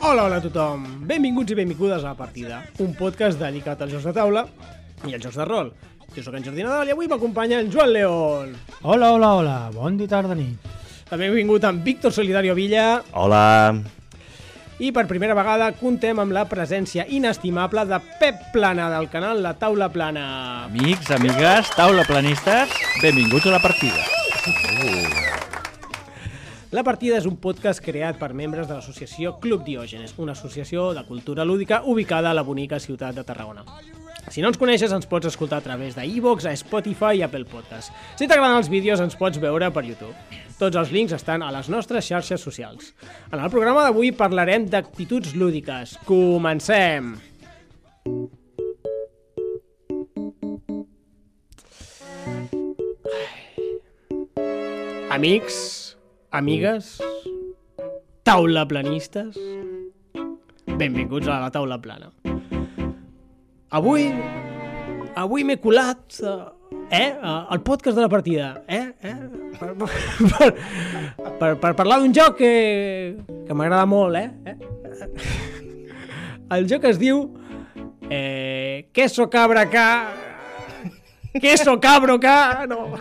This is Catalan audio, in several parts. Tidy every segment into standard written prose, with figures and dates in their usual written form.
Hola a tothom, benvinguts i benvingudes a La Partida, un podcast dedicat als jocs de taula i als jocs de rol. Jo sóc en Jordi Nadal i avui m'acompanya en Joan León. Hola, bon dia, tarda, nit. També he vingut amb Víctor Solidario Villa. Hola. I per primera vegada contem amb la presència inestimable de Pep Plana del canal La Taula Plana. Amics, amigues, taulaplanistes, benvinguts a La Partida. La Partida és un podcast creat per membres de l'associació Club Diògenes, una associació de cultura lúdica ubicada a la bonica ciutat de Tarragona. Si no ens coneixes, ens pots escoltar a través d'iVoox, a Spotify i Apple Podcast. Si t'agraden els vídeos, ens pots veure per YouTube. Tots els links estan a les nostres xarxes socials. En el programa d'avui parlarem d'actituds lúdiques. Comencem! Amics, amigues, taulaplanistes, benvinguts a la Taula Plana. Avui m'he colat al podcast de La Partida, per parlar d'un joc que m'agrada molt, El joc es diu Queso cabra ca... Queso cabro ca... No...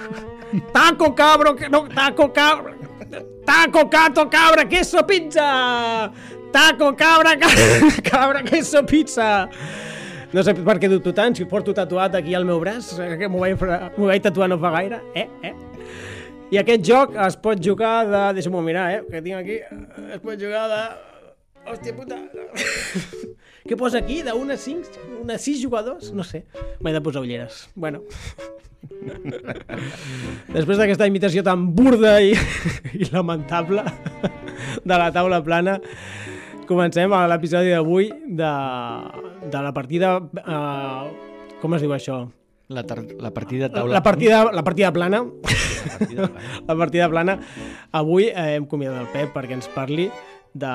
Taco cabro... No, taco cabra... Taco cato cabra queso pizza! Taco cabra cabra queso pizza! No sé per què dubto tant, si porto tatuat aquí al meu braç, que m'ho vaig tatuar no fa gaire, I aquest joc es pot jugar de... Deixa'm-ho mirar, que tinc aquí. Es pot jugar de... Hòstia puta... Què posa aquí? De 1 a 5? 1 a 6 jugadors? No sé. M'he de posar ulleres. Bueno. Després d'aquesta imitació tan burda i lamentable de La Taula Plana, comencem a l'episodi d'avui de la partida... com es diu això? La partida taula... La partida plana. La partida plana. Avui hem convidat el Pep perquè ens parli de...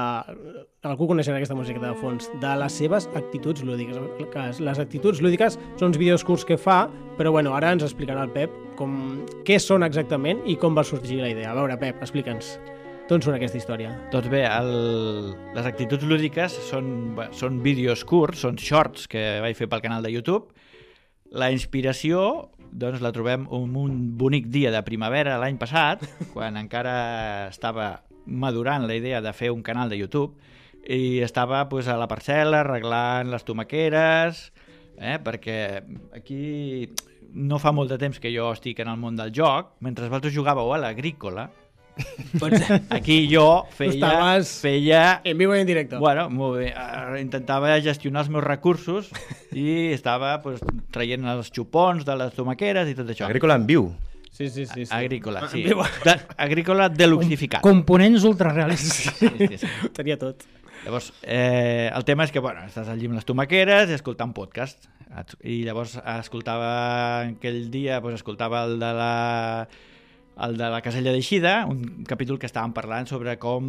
Algú coneixerà aquesta música de fons, de les seves actituds lúdiques. Les actituds lúdiques són uns vídeos curts que fa, però bueno, ara ens explicarà el Pep què són exactament i com va sorgir la idea. A veure, Pep, explica'ns. D'on surt aquesta història? Doncs bé, les actituds lúdiques són vídeos curts, són shorts que vaig fer pel canal de YouTube. La inspiració doncs, la trobem un bonic dia de primavera l'any passat, quan encara estava madurant la idea de fer un canal de YouTube i estava pues, a la parcel·la arreglant les tomaqueres, perquè aquí no fa molt de temps que jo estic en el món del joc, mentre vosaltres jugàveu a l'agrícola. Aquí jo feia... En vivo i en directe. Bueno, molt bé. Intentava gestionar els meus recursos i estava pues, traient els xupons de les tomaqueres i tot això. Agrícola en viu. Sí. Agrícola, sí. Agrícola deluxificat. Components ultrarealistes. Sí. Ho tenia tot. Llavors, el tema és que, bueno, estàs allí amb les tomaqueres i escoltant podcast. I llavors escoltava aquell dia, pues, escoltava el de la Casella d'Eixida, un capítol que estàvem parlant sobre com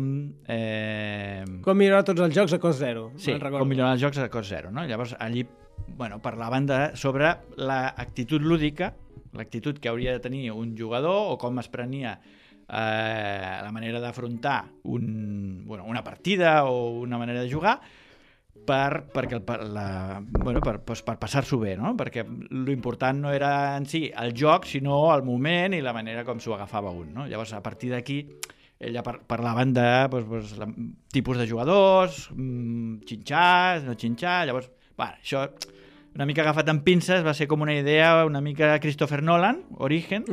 millorar tots els jocs a cost zero. Sí, com millorar els jocs a cost zero, no? Llavors allí parlaven sobre l'actitud lúdica, l'actitud que hauria de tenir un jugador o com es prenia la manera d'afrontar una partida o una manera de jugar per passar-s'ho bé, no? Perquè l'important no era en si el joc, sinó el moment i la manera com s'ho agafava un, no? Llavors, a partir d'aquí, ella parlaven de tipus de jugadors, xinxar, no xinxar, llavors, això una mica agafat amb pinces, va ser com una idea una mica Christopher Nolan, Origen,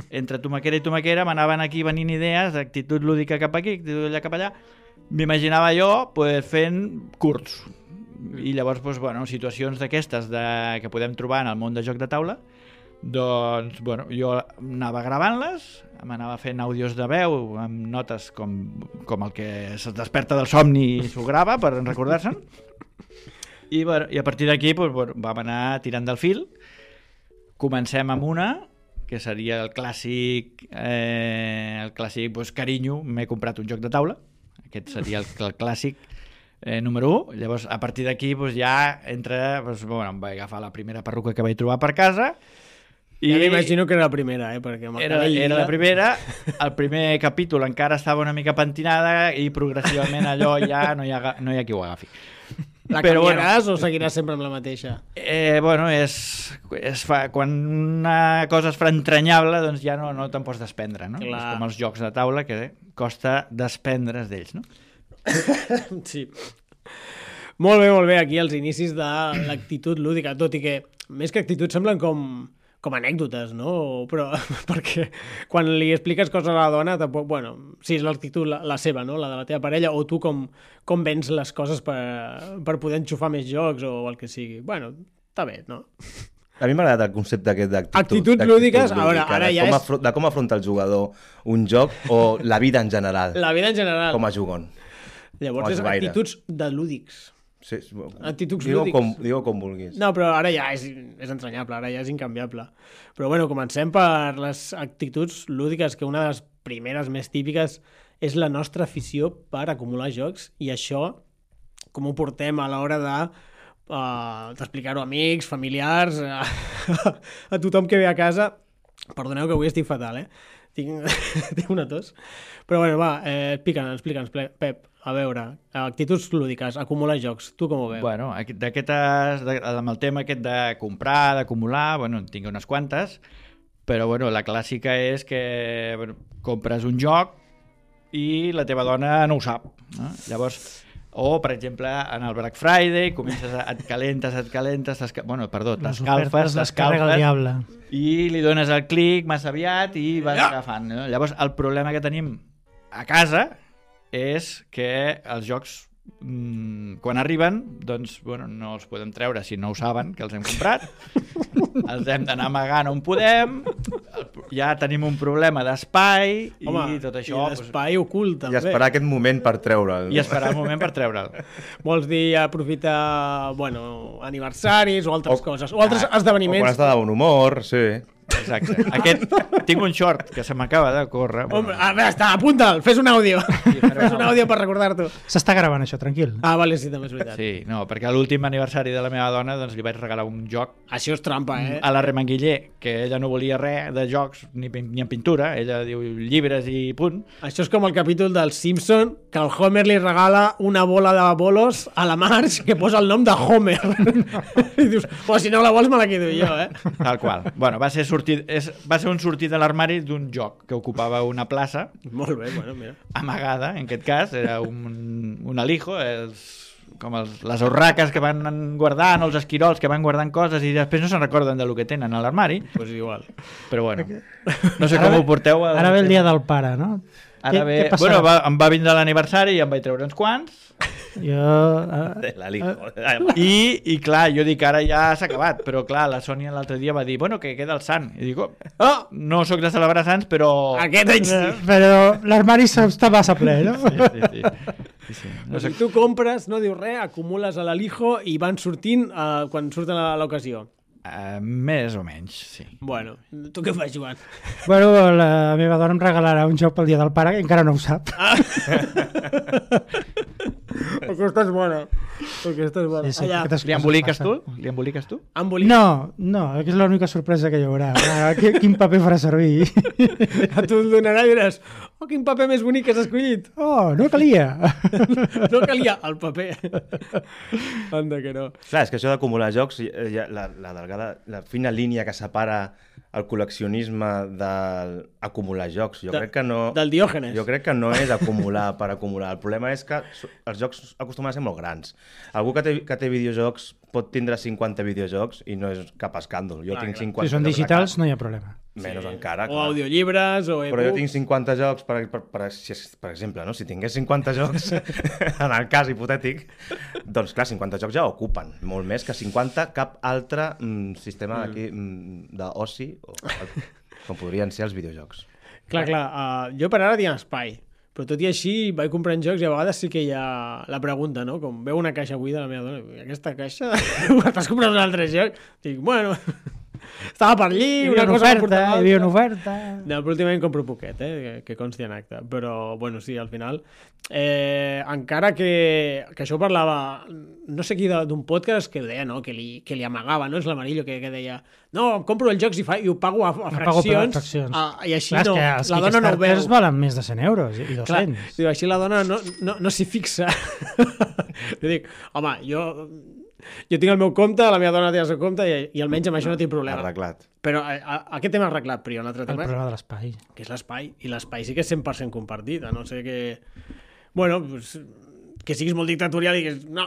entre tomaquera i tomaquera m'anaven aquí venint idees d'actitud lúdica cap aquí, actitud allà cap allà. M'imaginava jo fent curts i llavors situacions d'aquestes que podem trobar en el món de joc de taula, doncs jo anava gravant-les, m'anava fent àudios de veu amb notes com el que es desperta del somni i s'ho grava per recordar-se'n. I a partir d'aquí vam anar tirant del fil. Comencem amb una que seria el clàssic carinyo, m'he comprat un joc de taula. Aquest seria el clàssic número 1. Llavors, a partir d'aquí ja entra... em vaig agafar la primera perruca que vaig trobar per casa, Ja m'imagino que era la primera, perquè era la primera, el primer capítol encara estava una mica pentinada i progressivament allò ja no hi ha qui ho agafi. La canviaràs o seguiràs sempre amb la mateixa? Bueno, quan una cosa es fa entranyable, doncs ja no te'n pots desprendre, no? Clar. És com els jocs de taula, que costa desprendre's d'ells, no? Sí. Molt bé, aquí els inicis de l'actitud lúdica, tot i que més que actitud semblen com anècdotes, no? Però perquè quan li expliques coses a la dona, tampoc, bueno, sí, és l'actitud la seva, no? La de la teva parella, o tu com vens les coses per poder enxufar més jocs o el que sigui. Bueno, està bé, no? A mi m'ha agradat el concepte aquest d'actitud. Actituds lúdiques, a veure, ara ja és... De com afronta el jugador un joc o la vida en general. La vida en general. Com a jugon. Llavors és actituds de lúdics. Sí, actituds lúdics. Digue com vulguis. No, però ara ja és entranyable, ara ja és incanviable. Però bueno, comencem per les actituds lúdiques, que una de les primeres més típiques és la nostra afició per acumular jocs, i això com ho portem a l'hora d'explicar-ho a amics, familiars, a tothom que ve a casa. Perdoneu que avui estic fatal, tinc una tos. Però bueno, va, explica'ns, Pep. A veure, actituds lúdiques, acumular jocs, tu com ho veus? Bueno, amb el tema aquest de comprar, d'acumular, bueno, en tinc unes quantes, però bueno, la clàssica és que compres un joc i la teva dona no ho sap, no? Llavors, o per exemple en el Black Friday comences et calentes, t'escalfes i li dones el clic massa aviat i vas agafant, no? Llavors el problema que tenim a casa és que els jocs quan arriben, doncs, bueno, no els podem treure si no ho saben, que els hem comprat, els hem d'anar amagant on podem, ja tenim un problema d'espai i tot això... I d'espai ocult, també. I esperar aquest moment per treure'l. I esperar el moment per treure'l. Vols dir aprofitar, bueno, aniversaris o altres coses, o altres esdeveniments. O quan estàs de bon humor, sí. Exacte. Tinc un short que se m'acaba de córrer. Home, a veure, apunta'l, fes un àudio. Fes un àudio per recordar-t'ho. S'està gravant això, tranquil. Vale, sí, també és veritat. Sí, no, perquè a l'últim aniversari de la meva dona doncs li vaig regalar un joc. Això és trampa, a la Remanguiller, que ella no volia res de jocs ni en pintura, ella diu llibres i punt. Això és com el capítol del Simpson, que el Homer li regala una bola de bolos a la Marge que posa el nom de Homer. I dius, si no la vols me la quedo jo, Tal qual. Bueno, va ser un sortir de l'armari d'un joc que ocupava una plaça. Molt bé, bueno, mira. Amagada, en aquest cas, era un alijo, com les urraques que van guardant, o els esquirols que van guardant coses i després no se'n recorden del que tenen a l'armari. Pues igual. Però bueno, no sé com ho porteu. Ara ve el dia del pare, no? Ara ve... Bueno, em va vindre l'aniversari i em vaig treure uns quants. I clar, jo dic ara ja s'ha acabat, però clar, la Sònia l'altre dia va dir, bueno, que queda el sant, i dic, no sóc de celebrar sants, però aquest any sí, però l'armari està massa ple, no? Sí. No sé. Tu compres, no dius res, acumules a l'alijo i van sortint quan surten a l'ocasió. Més o menys, sí. Bueno, tu què fas, Joan? Bueno, la meva dona em regalarà un joc pel dia del pare que encara no ho sap. Aquesta és bona. Sí, Li emboliques tu? No, és l'única sorpresa que hi haurà. Quin paper farà servir? A tu el donarà i diràs, quin paper més bonic que has escollit. No calia. No calia el paper. Anda que no. Clar, és que això d'acumular jocs, la fina línia que separa el col·leccionisme d'acumular jocs. Jo crec que no... Del Diògenes. Jo crec que no és acumular per acumular. El problema és que els jocs acostumen a ser molt grans. Algú que té videojocs pot tindre 50 videojocs i no és cap escàndol. Jo tinc 50. Si són digitals no hi ha problema. Menys encara. O audiollibres o e-books. Però jo tinc 50 jocs, per exemple, no? Si tingués 50 jocs, en el cas hipotètic, doncs clar, 50 jocs ja ocupen molt més que 50 cap altre sistema d'aquí d'oci, com podrien ser els videojocs. Clar, jo per ara tinc espai, però tot i així vaig comprant jocs i a vegades sí que hi ha la pregunta, no? Com veu una caixa buida la meva dona, aquesta caixa? T'has comprat un altre joc? Dic, bueno... Estava per allí, Hi havia una oferta, hi havia una oferta... No, però últimament compro poquet, que consti en acte. Però, bueno, sí, al final... encara que això ho parlava... No sé qui d'un podcast que ho deia, no? Que li amagava, no? És l'Amarillo que deia no, em compro els jocs i ho pago a fraccions. I així clar, no, la dona no ho veu. valen més de 100 euros i 200. Clar, diu, així la dona no s'hi fixa. Jo dic, home, jo tinc el meu compte, la meva dona té el seu compte i almenys amb això no tinc problema. Arreglat. Però aquest tema arreglat, però hi ha un altre tema. El problema de l'espai. Que és l'espai, i l'espai sí que és 100% compartit, a no ser que... Bueno, pues, que siguis molt dictatorial i diguis, no,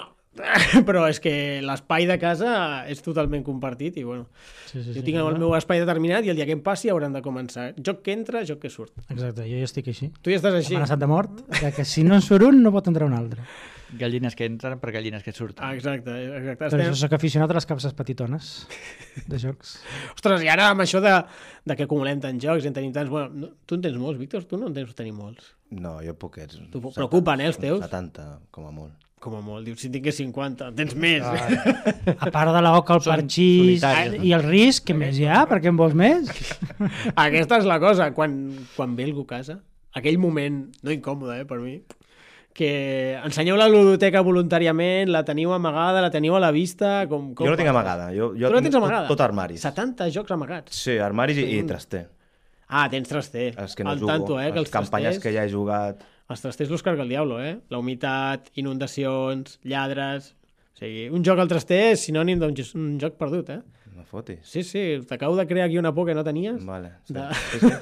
però és que l'espai de casa és totalment compartit i bueno, jo tinc el meu espai determinat i el dia que em passi hauran de començar. Joc que entra, joc que surt. Exacte, jo ja estic així. Tu ja estàs així. Amenaçat de mort, que si no en surt un no pot entrar un altre. Gallines que entren per gallines que surten. Exacte. Per això soc aficionat a les capses petitones de jocs. Ostres, i ara amb això de que acumulem tants jocs i en tenim tants... Bueno, tu en tens molts, Víctor? Tu no en tens tenir molts. No, jo poquets. T'ho preocupen, els teus? 70, com a molt. Com a molt. Dius, si tingués 50, en tens més. A part de l'oca, el parxís i el risc, què més hi ha? Per què en vols més? Aquesta és la cosa. Quan ve algú a casa, aquell moment, no incòmode, per mi, que ensenyeu la ludoteca voluntàriament, la teniu amagada, la teniu a la vista... Com jo no tinc amagada. Jo tu no tens amagada? Tot armaris. 70 jocs amagats. Sí, armaris i traster. Ah, tens traster. Els que no al jugo, tanto, que les campanyes que ja he jugat... Els trasters los carga el diablo, La humitat, inundacions, lladres... O sigui, un joc al traster és sinònim d'un joc perdut, No fotis. Sí, t'acabo de crear aquí una por que no tenies. Vale. Sí.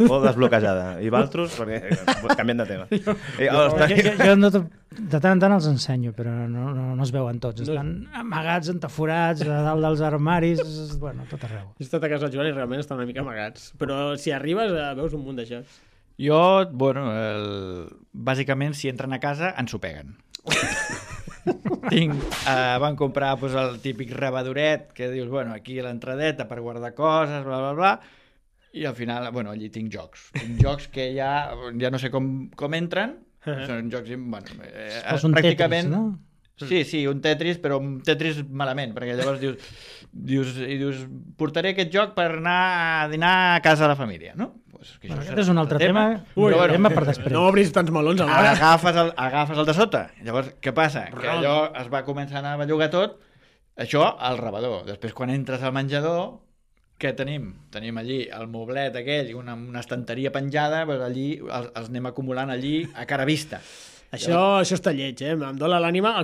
Por desbloquejada. I Valtros, perquè canviem de tema. Jo de tant en tant els ensenyo, però no es veuen tots. Estan amagats, entaforats, a dalt dels armaris, bueno, tot arreu. He estat a casa del Joan i realment estan una mica amagats. Però si arribes veus un munt de jocs. Jo, bueno, bàsicament, si entren a casa, ens ho peguen. Van comprar pues, el típic rebadoret que dius, bueno, aquí a l'entradeta per guardar coses, bla, bla, bla, i al final, bueno, allí tinc jocs. Tinc jocs que ja no sé com entren, són jocs, bueno, pràcticament... Tetris, no? Sí, un Tetris, però un Tetris malament, perquè llavors dius portaré aquest joc per anar a dinar a casa de la família, no? Pues, aquest és un altre tema, tema per després. No obris tants melons alhora. Agafes el de sota. Llavors, què passa? Que allò es va començar a bellugar tot, això al rebedor. Després, quan entres al menjador, què tenim? Tenim allí el moblet aquell i una estanteria penjada, pues allí els anem acumulant allí a cara vista. Això està lleig, Em dóna l'ànima.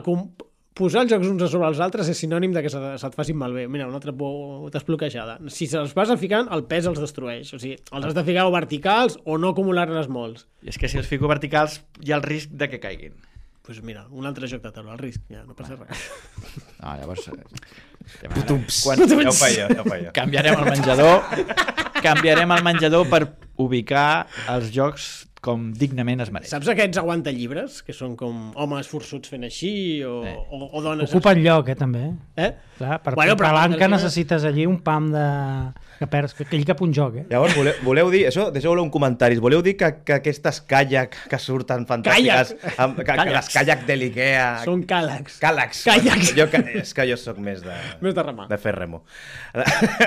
Posar els jocs uns a sobre els altres és sinònim de que se't facin malbé. Mira, una altra por desbloquejada. Si se'ls vas ficant, el pes els destrueix. O sigui, els has de ficar o verticals o no acumular-ne molts. I és que si els fico verticals hi ha el risc de que caiguin. Doncs mira, un altre joc de taula, el risc, ja no passa res. No, llavors... Ja ho feia. Canviarem el menjador per ubicar els jocs com dignament es mereix. Saps aquests aguantallibre?s, que són com homes forçuts fent així o dones... Ocupen lloc, també. Clar, per palanca necessites allí un pam de... que ell cap un joc, Llavors, voleu dir, això, deixeu-lo en comentaris, voleu dir que aquestes caiac que surten fantàstiques, les caiac de l'Ikea... Són càlacs. Càlacs. És que jo sóc més de... Més de remar. De fer remo.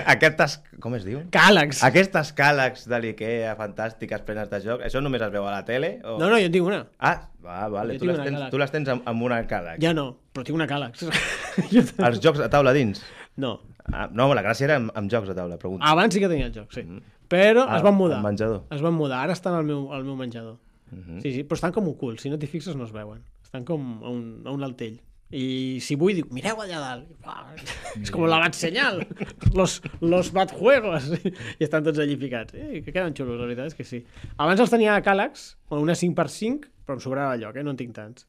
Aquestes... Com es diu? Càlacs. Aquestes càlacs de l'Ikea fantàstiques, plenes de joc, això només es veu a la tele? O... No, jo en tinc una. Vale. Tu les tens amb una càlac. Ja no, però tinc una càlax. Els jocs a taula dins? No. No, la gràcia era amb jocs a taula, pregunto. Abans sí que tenia el joc, sí. Però es van mudar. Al menjador. Es van mudar, ara estan al meu menjador. Sí, però estan com ocults, si no t'hi fixes no es veuen. Estan com a un altell. I si vull, dic, mireu allà dalt. És com la bat senyal. Los bat juegos. I estan tots allí ficats. Que queden xulos, la veritat és que sí. Abans els tenia a càlax, una 5x5, però em sobrava lloc, no en tinc tants.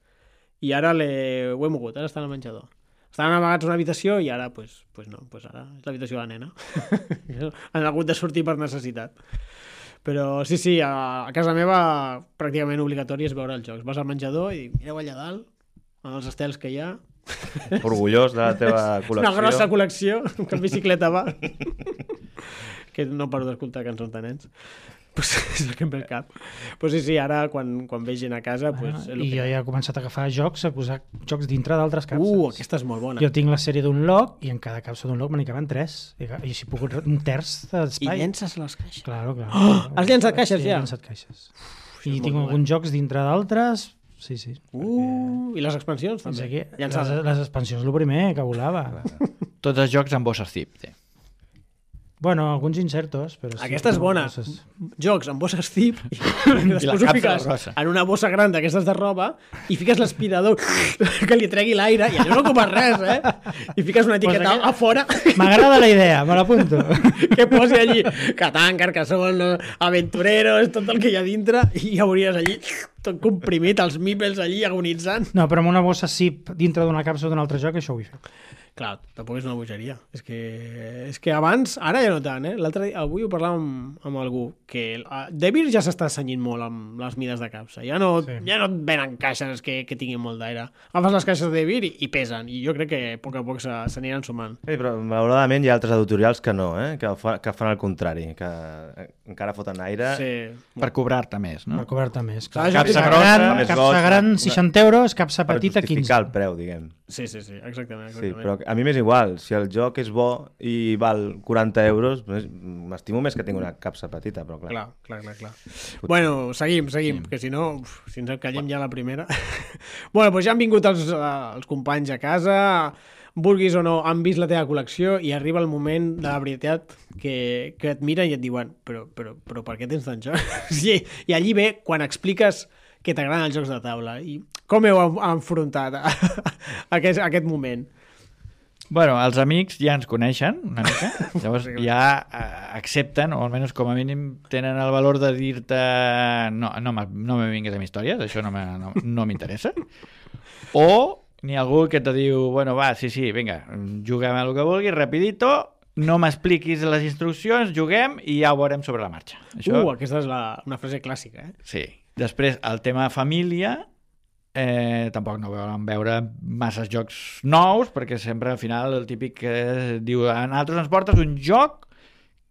I ara ho he mogut, ara estan al menjador. Estaven amagats a una habitació i ara, pues no, ara és l'habitació de la nena. Han hagut de sortir per necessitat. Però sí, a casa meva pràcticament obligatori és veure els jocs. Vas al menjador i mireu allà dalt, en els estels que hi ha. Orgullós de la teva col·lecció. Una grossa col·lecció, que en bicicleta va. Que no paro d'escoltar cançons de nens. pues, és el que em ve al cap. Pues sí, ara quan ve gent a casa... Pues, I jo ja he començat a agafar jocs, a posar jocs dintre d'altres capses. Aquesta és molt bona. Jo tinc la sèrie d'un loc i en cada capsa d'un loc me n'hi caben 3. I així puc un terç I d'espai. llences les caixes. Claro. Has llançat caixes ja? He llançat caixes. I tinc alguns jocs dintre d'altres. Sí. I les expansions també. Aquí, les expansions, el primer que volava. Tots els jocs amb bosses zip, té. Bueno, alguns insertos, però sí. Aquesta és bona. Jocs amb bosses zip i després la ho capsa fiques grossa. en una bossa gran d'aquestes de roba i fiques l'aspirador que li tregui l'aire i allò no ocupa res, I fiques una etiqueta a fora M'agrada la idea, me l'apunto. que posi allí Catán, Carcassonne, Aventureros, tot el que hi ha dintre i ja hauries allí tot comprimit, els meeples allí agonitzant. No, però amb una bossa zip dintre d'una capsa d'un altre joc, això ho vull fer. Clar, tampoc és una bogeria. És que abans, ara ja no tant, L'altre dia, avui ho parlàvem amb algú, que Devir ja s'està senyint molt amb les mides de capsa. Ja no et venen caixes que tinguin molt d'aire. Agafes les caixes de Devir i pesen, i jo crec que a poc s'aniran sumant. Però malauradament hi ha altres editorials que no, que fan el contrari, que encara foten aire. Sí. Per cobrar-te més, no? Per cobrar-te més. Capsa grossa, capsa gran, 60 euros, capsa petita, per justificar 15. el preu, diguem. Sí, exactament. Sí, però a mi m'és igual. Si el joc és bo i val 40 euros, m'estimo més que tingui una capsa petita, però clar. Clar. Bueno, seguim, que si no, si ens encallem ja la primera. Bueno, doncs ja han vingut els companys a casa, vulguis o no, han vist la teva col·lecció i arriba el moment de la veritat que et miren i et diuen però per què tens tant jocs? I allí ve quan expliques que t'agraden els jocs de taula. I com heu enfrontat aquest moment? Bueno, els amics ja ens coneixen una mica, llavors ja accepten, o almenys com a mínim tenen el valor de dir-te no me vinguis amb històries, això no m'interessa. O n'hi ha algú que te diu, bueno, va, sí, vinga, juguem a el que vulguis, rapidito, no m'expliquis les instruccions, juguem i ja ho veurem sobre la marxa. Això... Aquesta és una frase clàssica, Sí. Després, el tema família, tampoc no volen veure masses jocs nous, perquè sempre al final el típic que diu a nosaltres ens portes un joc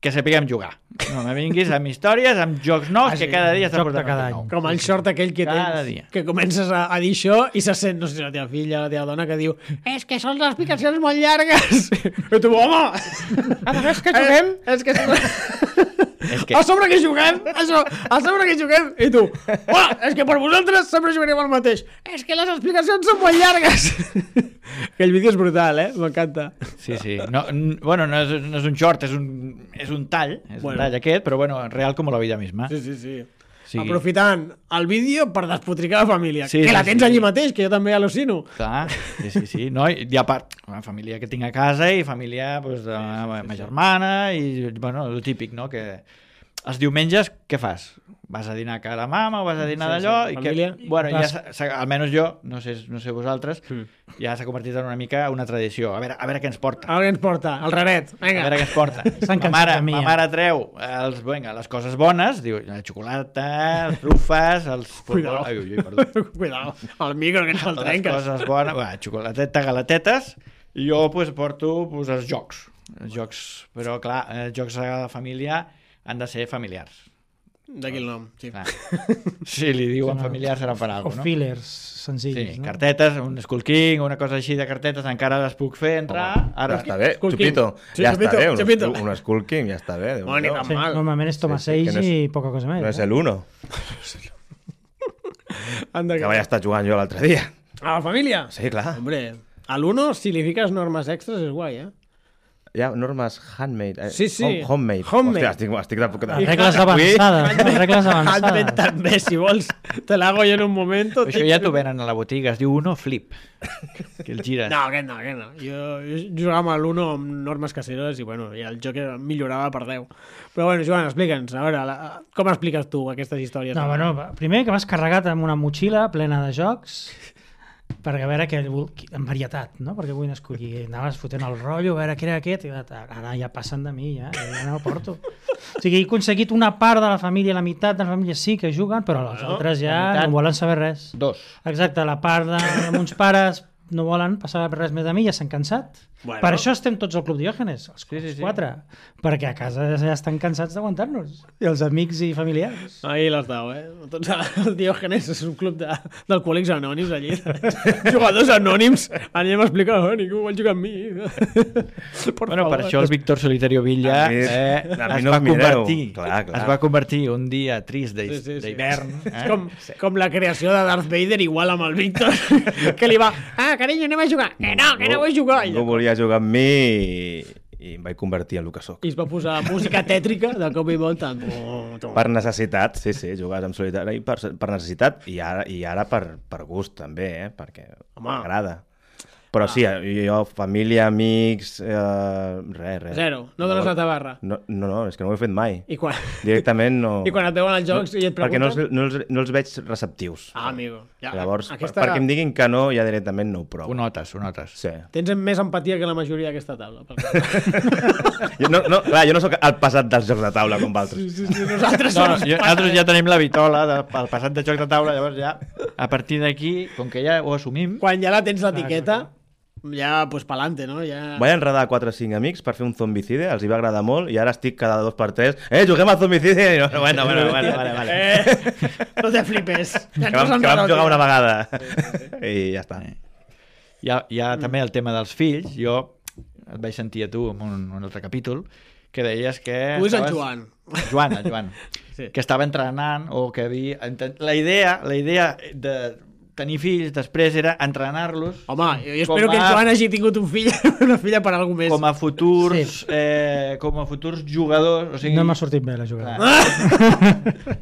que sapiguem jugar. No me vinguis amb històries, amb jocs nous, que cada dia està portant un nou. Com el short aquell que tens, que comences a dir això i se sent, no sé si la teva filla, la teva dona, que diu és que són les explicacions molt llargues. I tu, home! És que juguem? És que... A sobre que juguem! A sobre que juguem! I tu, és que per vosaltres sempre jugarem el mateix. És que les explicacions són molt llargues. Aquell vídeo és brutal, m'encanta. Sí. No és un short, és un tall, un tall aquest, però real com la vida misma. Sí. Aprofitant el vídeo per despotricar la família, que la tens allí mateix, que jo també al·lucino. Clar, sí. No, i a part, una família que tinc a casa i família de la meva germana i, el típic, no?, que els diumenges què fas? Vas a dinar a casa de mama o vas a dinar d'allò? Família. Ja, almenys jo, no sé vosaltres, ja s'ha convertit en una mica una tradició. A veure què ens porta. El raret. Vinga. A veure què ens porta. Ma mare treu les coses bones, diu, la xocolata, els trufes, els... Cuidao, el micro que ens el trenques. Les coses bones, xocolateta, galatetes, i jo porto els jocs. Però clar, els jocs a la família han de ser familiars. D'aquí el nom, sí. Si li diuen familiars serà per alguna cosa, no? O fillers senzills, no? Cartetes, un Skull King, una cosa així de cartetes, encara les puc fer entrar. Ara està bé, Chupito. Ja està bé, un Skull King, ja està bé. Normalment és Toma 6 i poca cosa més. No és l'1. Que vaig estar jugant jo l'altre dia. A la família? Sí, clar. Hombre, a l'1, si li fiques normes extras, és guai, Hi ha normes handmade. Sí. Homemade. Hòstia, estic de... Regles avançades. Handmade també, si vols. Te l'hago jo en un moment. Això ja t'ho venen a la botiga, es diu Uno Flip. Que el gires. No, aquest no. Jo jugava amb l'Uno amb normes caseres i el joc millorava per 10. Però Joan, explica'ns, a veure, com expliques tu aquestes històries? No, primer que m'has carregat amb una motxilla plena de jocs perquè a veure en varietat, no? Perquè vull escollir, anaves fotent el rotllo, a veure què era aquest, i ara ja passen de mi, ja no ho porto. O sigui, he aconseguit una part de la família, la meitat de la família sí que juguen, però les altres ja no volen saber res. 2. Exacte, la part de uns pares no volen passar res més de mi, ja s'han cansat. Bueno. Per això estem tots al Club Diògenes, els sí. 4, perquè a casa ja estan cansats d'aguantar-nos, i els amics i familiars. Ahí les dau, Tots el Diògenes és un club d'alcohòlics anònims allí. Jugadors anònims. Anem a explicar, ningú vol jugar amb mi. Bueno, per això el Víctor Solitario Villa es va convertir un dia trist d'hivern. Com la creació de Darth Vader igual amb el Víctor, que li va, carinyo, anem a jugar. Que no vull jugar. No volia jugar amb mi i em vaig convertir en el que soc. I es va posar música tètrica de cop i volta. Per necessitat, sí, jugar amb solitari per necessitat i ara per gust també, perquè m'agrada. Però sí, jo, família, amics, res. Zero, no dones la tabarra. No, és que no ho he fet mai. I quan? Directament no... I quan et veuen als jocs i et pregunten? Perquè no els veig receptius. Amigo. Ja, llavors, perquè em diguin que no, ja directament no ho provo. Ho notes. Sí. Tens més empatia que la majoria d'aquesta taula. jo no sóc el passat dels jocs de taula com altres. Sí, nosaltres ja tenim la vitola del passat de jocs de taula, llavors ja, a partir d'aquí, com que ja ho assumim... Quan ja la tens l'etiqueta... Ja, pues pa'lante, no? Ja... Vaig enredar 4 o 5 amics per fer un zombicide, els hi va agradar molt, i ara estic cada 2x3, juguem a zombicide! I no, bueno, vale. No te flipes. Que vam jugar una vegada. I ja està. Hi ha també el tema dels fills. Jo et vaig sentir a tu en un altre capítol, que deies que... Tu és el Joan. El Joan. Sí. Que estava entrenant o que havia... La idea de tenir fills després era entrenar-los. Home, jo espero que el Joan hagi tingut una filla per alguna més. Com a futurs jugadors. O sigui... No m'ha sortit bé la jugada.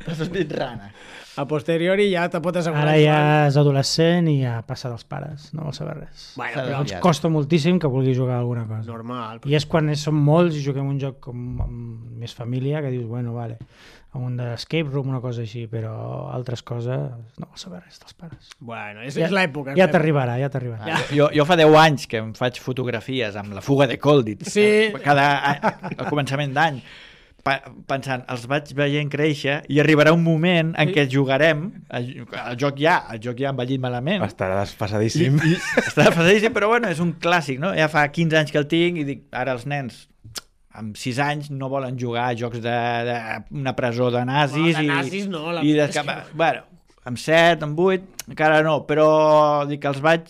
T'ha sortit rana. A posteriori ja te pot assegurar. Ara ja és adolescent i ja passa dels pares, no vol saber res. Bueno, però ens costa moltíssim que vulgui jugar alguna cosa. Normal. I és quan som molts i juguem un joc amb més família que dius, bueno, vale, un d'escape room, una cosa així, però altres coses no vol saber res dels pares. Bueno, és l'època. Ja t'arribarà. Jo fa 10 anys que em faig fotografies amb la fuga de Colditz, al començament d'any, pensant, els vaig veient créixer i arribarà un moment en què jugarem, el joc ja ha envellit malament. Estarà desfasadíssim. Estarà desfasadíssim, però bueno, és un clàssic, no? Ja fa 15 anys que el tinc i dic, ara els nens amb 6 anys no volen jugar a jocs d'una presó de nazis. No, de nazis no. Bueno, amb 7, amb 8, encara no, però dic que els vaig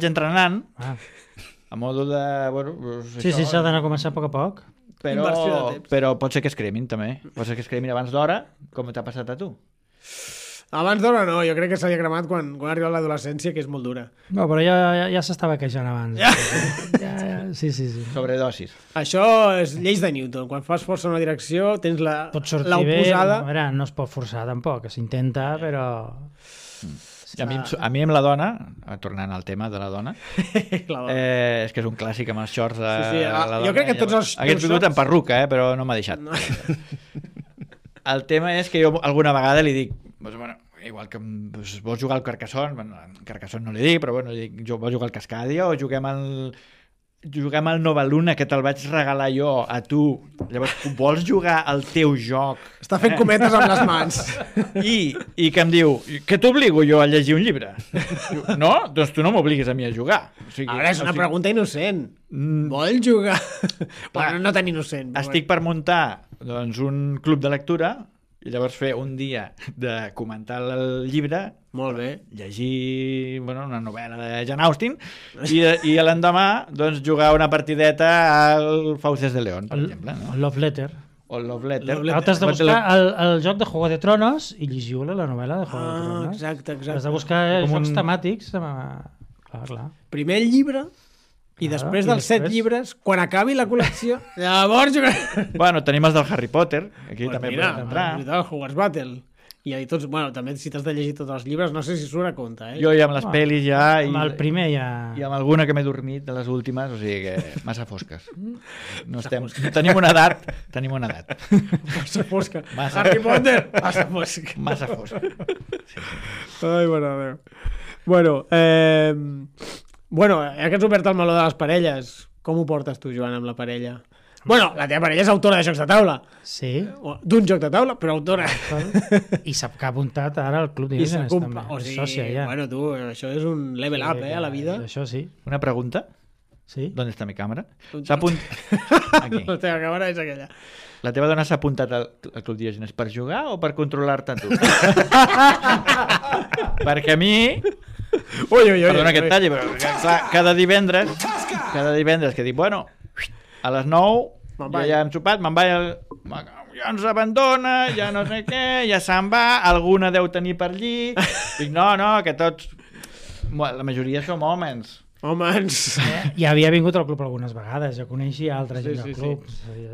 entrenant a modo de... Bueno, sí, s'ha d'anar a començar a poc a poc. Però pot ser que es cremin també. Pot ser que es cremin abans d'hora, com t'ha passat a tu. Abans d'hora no, jo crec que s'havia cremat quan ha arribat l'adolescència, que és molt dura. No, però ja s'estava queixant abans. Sí. Sobredosis. Això és lleis de Newton. Quan fas força en una direcció, tens l'oposada. A veure, no es pot forçar tampoc, s'intenta, però... A mi amb la dona, tornant al tema de la dona, és que és un clàssic amb els shorts de la dona. Jo crec que tots els hagués vingut en perruca, però no m'ha deixat. El tema és que jo alguna vegada li dic, bueno, igual que vols jugar al Carcassonne, Carcassonne no li dic, però bueno, vols jugar al Cascadia o juguem al Nova Luna, que te'l vaig regalar jo a tu. Llavors, vols jugar al teu joc? Està fent cometes amb les mans. I que em diu, que t'obligo jo a llegir un llibre? No? Doncs tu no m'obliguis a mi a jugar. A veure, és una pregunta innocent. Vols jugar? Bueno, no tan innocent. Estic per muntar un club de lectura i llavors fer un dia de comentar el llibre, molt bé, llegir una novel·la de Jane Austen i l'endemà jugar una partideta al Fauces de León, per exemple. El Love Letter. O el Love Letter. T'has de buscar el joc de Juego de Tronos i llegiu la novel·la de Juego de Tronos. Exacte. Has de buscar jocs temàtics. Clar. Primer el llibre i després dels 7 llibres, quan acabi la col·lecció, llavors... Bueno, tenim els del Harry Potter, aquí també podem entrar. El Hogwarts Battle. I tots, bueno, també si t'has de llegir tots els llibres, no sé si surt a compte, Jo ja amb les pel·lis ja... Amb el primer ja... I amb alguna que m'he dormit de les últimes, o sigui que massa fosques. Tenim una edat. Massa fosca. Harry Potter, massa fosca. Massa fosca. Ai, bona Déu. Bueno, ja que has obert el meló de les parelles, com ho portes tu, Joan, amb la parella? Bueno, la teva parella és autora de jocs de taula. Sí. D'un joc de taula, però autora. I sap que ha apuntat ara al Club I s'ha Diogenes també. o És sigui, sòcia ja. bueno, tu, això és un level up, a la vida. Això sí. Una pregunta. Sí. ¿Dónde está mi cámara? S'ha Aquí. La teva càmera és aquella. La teva dona s'ha apuntat al Club Diogenes per jugar o per controlar-te tu? Perquè a mi... Perdona que et talli, però clar, cada divendres que dic, bueno, a les 9 ja hem sopat, me'n vaig ja ens abandona, ja no sé què, ja se'n va, alguna deu tenir per allí. Dic, no, que tots... La majoria som homes. Ja havia vingut al club algunes vegades, ja coneixia altra gent del club,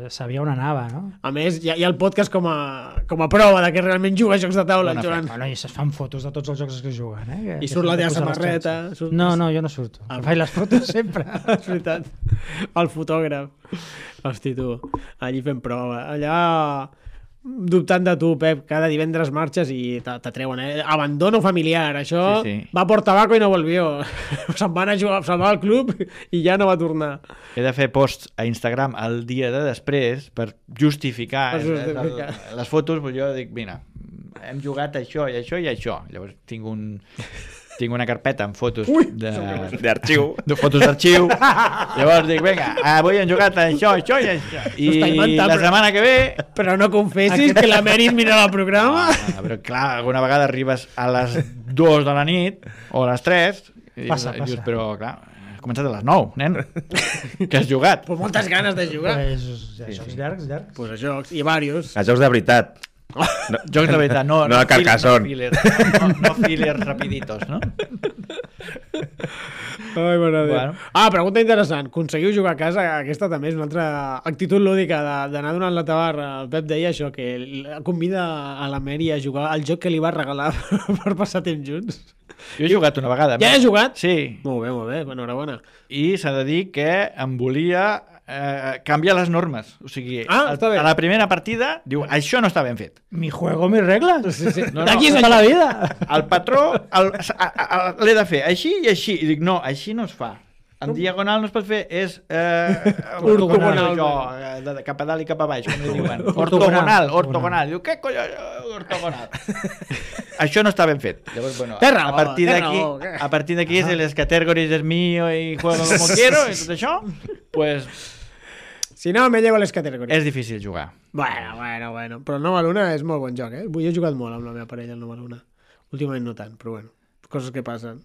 sabia on anava, no? A més, hi ha el podcast com a prova de que realment juga a jocs de taula, Joan. Bueno, i es fan fotos de tots els jocs que juguen, I surt la teva samarreta. No, jo no surto. Faig les fotos sempre. És veritat. El fotògraf. Hosti, tu, allí fent prova. Allà... dubtant de tu, Pep, cada divendres marxes i t'atreuen, abandono familiar, això va por tabaco i no volvió. Se'n va anar a jugar, se'n va al club i ja no va tornar. He de fer posts a Instagram el dia de després per justificar les fotos, però jo dic, mira, hem jugat això i això i això. Llavors tinc una carpeta amb fotos d'arxiu. De fotos d'arxiu. Llavors dic, vinga, avui hem jugat això i això. I la setmana que ve... Però no confessis que la Mary mira el programa. Però clar, alguna vegada arribes a les 2 de la nit o a les 3 i dius, però clar, has començat a les 9, nen. Que has jugat? Pues moltes ganes de jugar. Jocs llargs. Pues a jocs, i varios. A jocs de veritat. No, jocs de veritat, no de Carcassonne. No fillers rapiditos, no? Ai, mare de Déu. Pregunta interessant. Aconseguiu jugar a casa? Aquesta també és una altra actitud lúdica d'anar donant la tabarra. El Pep deia això, que convida a la Mary a jugar al joc que li va regalar per passar temps junts. Jo he jugat una vegada. Ja he jugat? Sí. Molt bé, enhorabona. I s'ha de dir que em volia canviar les normes. O sigui, a la primera partida diu, això no està ben fet. Mi juego, mis reglas. D'aquí és la vida. El patró l'he de fer així i així. I dic, no, així no es fa. En diagonal no es pot fer, és ortogonal. Cap a dalt i cap a baix, com li diuen. Ortogonal. Diu, què colló, ortogonal? Això no està ben fet. Llavors, bueno, a partir d'aquí és les categories és mío i juego como quiero i tot això, pues... Si no, me llevo les categories. És difícil jugar. Bueno. Però el Nova Luna és molt bon joc, Jo he jugat molt amb la meva parella, el Nova Luna. Últimament no tant, però bueno, coses que passen.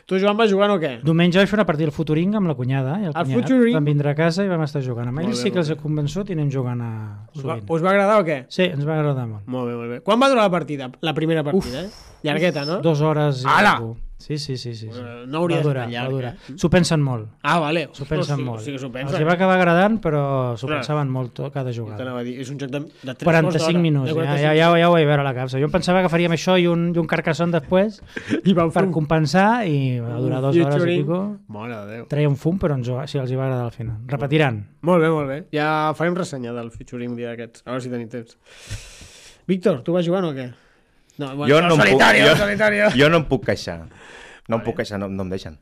Tu, Joan, vas jugant o què? Diumenge vaig fer una partida al Futuring amb la cunyada i el cunyat. Futuring? Vam vindre a casa i vam estar jugant. Amb ells sí que els he convençut i anem jugant sovint. Us va agradar o què? Sí, ens va agradar molt. Molt bé. Quan va durar la partida? La primera partida, Llargueta, no? 2 hores i algú. Sí. No hauria va durar. S'ho pensen molt. Vale. S'ho pensen molt. Sí que s'ho pensen. Els va acabar agradant, però s'ho pensaven molt cada jugada. És un joc de 3 45 minuts. Ja ho vaig veure a la capsa. Jo em pensava que faríem això i un Carcassonne després per compensar i va durar 2 hores i pico. Mare de Déu. Treia un fum, però si els hi va agradar al final. Repetiran. Molt bé. Ja farem ressenya del featuring un dia d'aquests. A veure si tenim temps. Víctor, tu vas jugant o què? No, bueno, solitario. Jo no em puc queixar. No em puc queixar, no em deixen.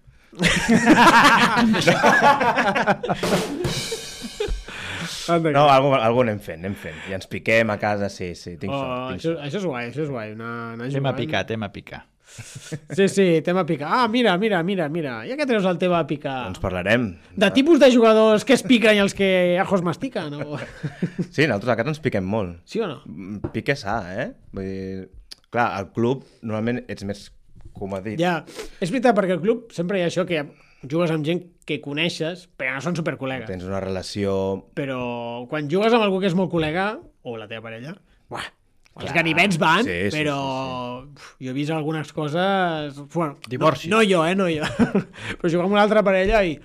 No, algú anem fent. I ens piquem a casa, sí. Això és guai. Tema picar. Sí, tema picar. Mira. Ja que treus el tema a picar. Doncs parlarem. De tipus de jugadors que es piquen i els que ajos mastiquen. Sí, nosaltres a casa ens piquem molt. Sí o no? Pique sa, Vull dir... Clar, al club normalment ets més comodit. Ja, és veritat, perquè al club sempre hi ha això que jugues amb gent que coneixes, però no són supercol·legues. Tens una relació... Però quan jugues amb algú que és molt col·lega, o la teva parella, els ganivets van, però jo he vist algunes coses... Bueno, divorcis. No jo. Però jugar amb una altra parella i...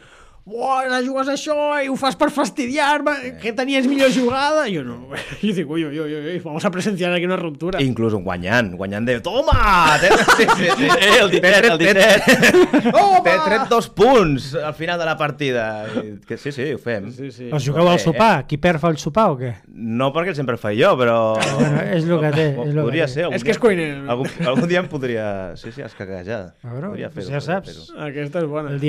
Ara jugues això i ho fas per fastidiar-me, que tenies millor jugada. Jo no, jo dic, ui, vamos a presenciar aquí una ruptura. Inclús guanyant de... Toma! El dit. T'he tret 2 punts al final de la partida. Sí, ho fem. Sí. Els jugueu al sopar? Qui perd fa el sopar o què? No, perquè sempre el faig jo, però... Bueno, és el que té. Podria ser. És que és cuiner. Algun dia em podria... Sí, escaquejar. Ja saps. Aquesta és bona. El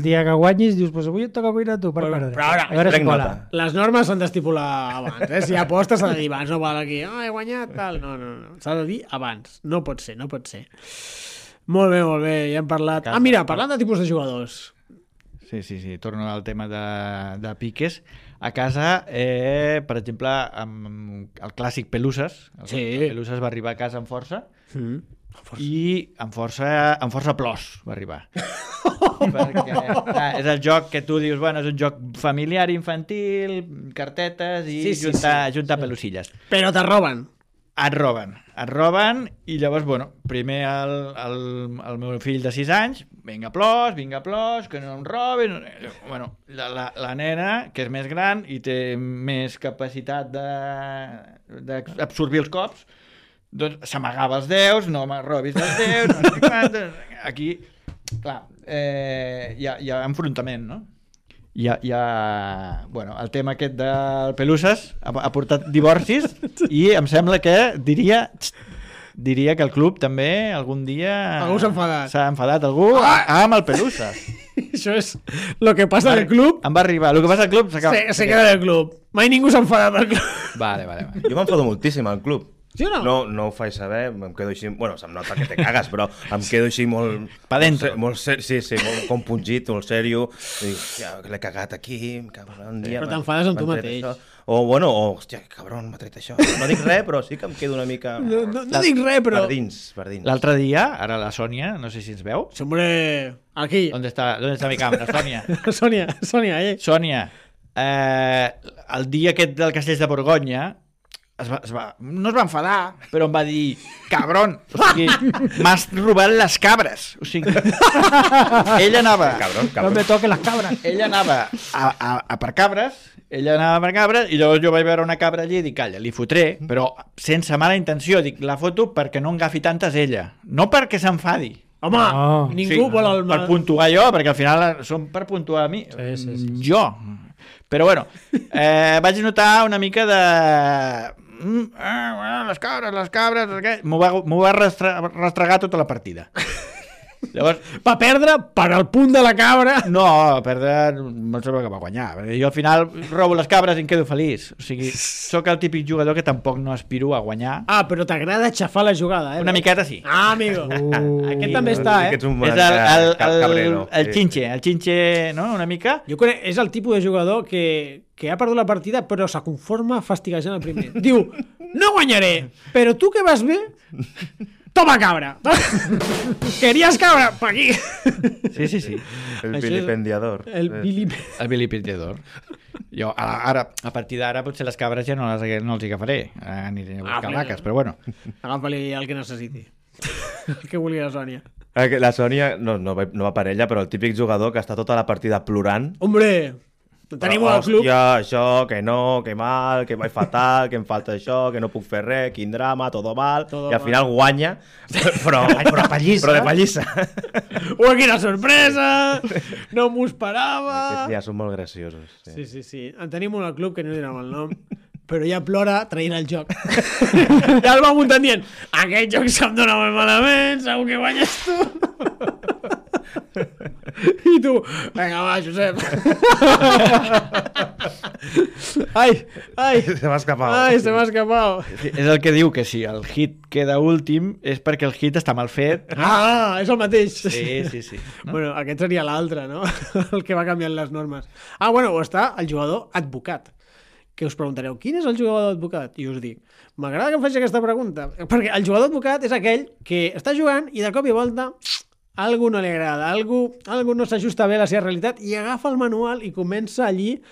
dia que guanyis dius, doncs avui et toca cuinar tu per perdre. Però ara, a veure si prenc cola. nota. les normes s'han d'estipular abans, Si apostes s'ha de dir abans, no val aquí, he guanyat, tal. No. S'ha de dir abans. No pot ser. Molt bé, ja hem parlat. Mira, parlant de tipus de jugadors. Sí, torno al tema de piques. A casa, per exemple, amb el clàssic Peluses. El Peluses va arribar a casa amb força. I amb força plors va arribar. Perquè és el joc que tu dius, bueno, és un joc familiar, infantil, cartetes i juntar pelusilles. Però te roben. Et roben i llavors, bueno, primer el meu fill de 6 anys, vinga plors, que no em robin. Bueno, la nena, que és més gran i té més capacitat d'absorbir els cops, doncs s'amagava els deus, no me robis els deus, no sé quant. Aquí, clar, hi ha enfrontament, no? Bueno, el tema aquest del Peluses ha portat divorcis i em sembla que diria que el club també algun dia algú s'ha enfadat algú amb el Peluses. Això és el que passa al club. Em va arribar, el que passa al club se queda del club. Mai ningú s'ha enfadat al club. Vale. Jo m'enfado moltíssim al club. Sí o no? No ho faig saber, em quedo així... Bueno, se'm nota que te cagues, però em quedo així molt... Pa dentro. Molt compungit, molt sèrio. Dic, hòstia, l'he cagat aquí, cabron, però t'enfades amb tu mateix. Hòstia, cabron, m'ha tret això. No dic res, però sí que em quedo una mica... No dic res, però... Per dins. L'altre dia, ara la Sònia, no sé si ens veu. Hombre, aquí. ¿Dónde está mi cámara, Sònia? Sònia, Sònia, el dia aquest del Castells de Borgonya no es va enfadar, però em va dir, cabron, o sigui, m'has robat les cabres. O sigui, ella anava... Cabron. No me toquen les cabres. Ella anava a per cabres, i llavors jo vaig veure una cabra allí i dic, calla, li fotré, però sense mala intenció, dic, la foto perquè no en agafi tantes ella, no perquè s'enfadi. Home, ningú vol el... Per puntuar jo, perquè al final són per puntuar a mi. Sí. Jo. Però bueno, vaig notar una mica de... les cabres... M'ho va rastregar tota la partida. Llavors, va perdre per al punt de la cabra. No, perdre no sembla que va guanyar. Jo al final robo les cabres i em quedo feliç. O sigui, sóc el típic jugador que tampoc no aspiro a guanyar. Però t'agrada xafar la jugada, Una miqueta sí. Amigo. Aquest també està, És el xinxe, no? Una mica. Jo crec és el tipus de jugador que ha perdut la partida però se conforma fastiguejant el primer. Diu, no guanyaré, però tu que vas bé... Toma cabra! Querías cabra? Pa aquí! Sí. El vilipendiador. El vilipendiador. Jo, ara, a partir d'ara, potser les cabres ja no els agafaré. Aniré a buscar vaques, però bueno. Agafa-li el que necessiti. El que vulgui la Sònia. La Sònia no va per ella, però el típic jugador que està tota la partida plorant. Hombre! Tenim al club. Hòstia, això, que no, que mal, que vaig fatal, que em falta això, que no puc fer res, quin drama, todo mal, i al final guanya, però de pallissa. Quina sorpresa! No m'ho esperava! Aquests dies són molt graciosos. Sí. En tenim un al club que no direm el nom, però ja plora traient el joc. Ja el va muntant dient, aquest joc se'm dona molt malament, segur que guanyes tu. I tu, vinga va, Josep. Ai, se m'ha escapat. És el que diu que si el hit queda últim és perquè el hit està mal fet. És el mateix. Sí. No? Bueno, aquest seria l'altre, no? El que va canviant les normes. O està el jugador advocat. Que us preguntareu, quin és el jugador advocat? I us dic, m'agrada que em faci aquesta pregunta, perquè el jugador advocat és aquell que està jugant i de cop i volta algú no li agrada, algú no s'ajusta bé a la seva realitat i agafa el manual i comença allí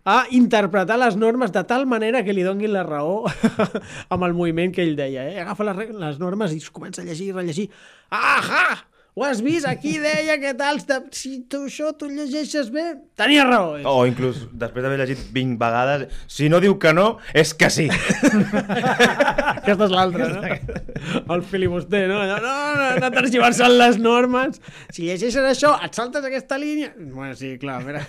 a interpretar les normes de tal manera que li donguin la raó amb el moviment que ell deia. Agafa les normes i comença a llegir, rellegir. Ahà! Ho has vist? Aquí deia que tal... Si tu això tu llegeixes bé, tenia raó. O inclús, després d'haver llegit 20 vegades, si no diu que no, és que sí. Aquesta és l'altra, no? El filibuster, no? No tergiversant les normes. Si llegeixes això, et saltes aquesta línia... Bueno, sí, clar, a veure...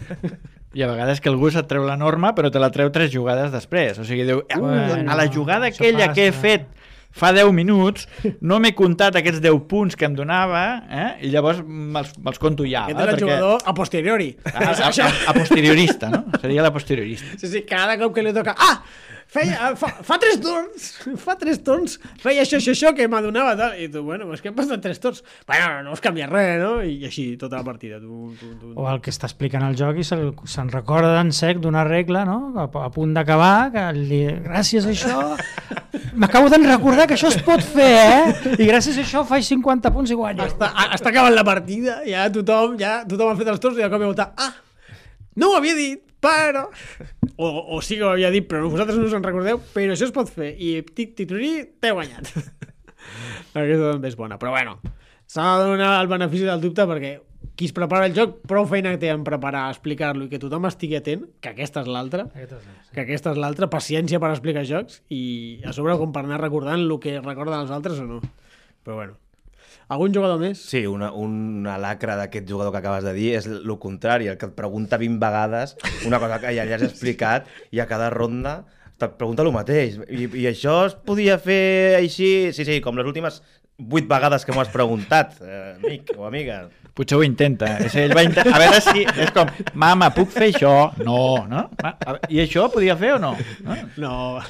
I a vegades que algú se't treu la norma, però te la treu 3 jugades després. O sigui, diu, a la jugada aquella que he fet fa 10 minuts no m'he comptat aquests 10 punts que em donava, i llavors me'ls conto ja. Aquest és el jugador a posteriori. A posteriorista, no? Seria la posteriorista. Sí, cada cop que li toca... fa 3 torns, feia això que m'adonava tal. I tu, bueno, és que hem passat 3 torns. Bueno, no us canvia res, no? I així tota la partida. O el que està explicant el joc i se'n recorda en sec d'una regla, no? A punt d'acabar, que gràcies a això m'acabo de recordar que això es pot fer, I gràcies a això faig 50 punts i guanyo. Està acabant la partida, ja tothom ha fet els torns i de cop i volta, no ho havia dit, però... O sí que ho havia dit, però vosaltres no us en recordeu, però això es pot fer. I tic-tic-tic-tic, t'he guanyat. Aquesta també és bona. Però bueno, s'ha de donar el benefici del dubte perquè qui es prepara el joc, prou feina té en preparar, explicar-lo i que tothom estigui atent, que aquesta és l'altra. Paciència per explicar jocs i a sobre com per anar recordant el que recorden els altres o no. Però bueno. Algun jugador més? Sí, una lacra d'aquest jugador que acabes de dir és el contrari, el que et pregunta 20 vegades una cosa que ja li has explicat i a cada ronda et pregunta el mateix. I això es podia fer així? Sí, com les últimes 8 vegades que m'ho has preguntat, amic o amiga. Potser ho intenta. Ell va intentar... A veure si... És com, mama, puc fer això? No, no? I això podia fer o no? No.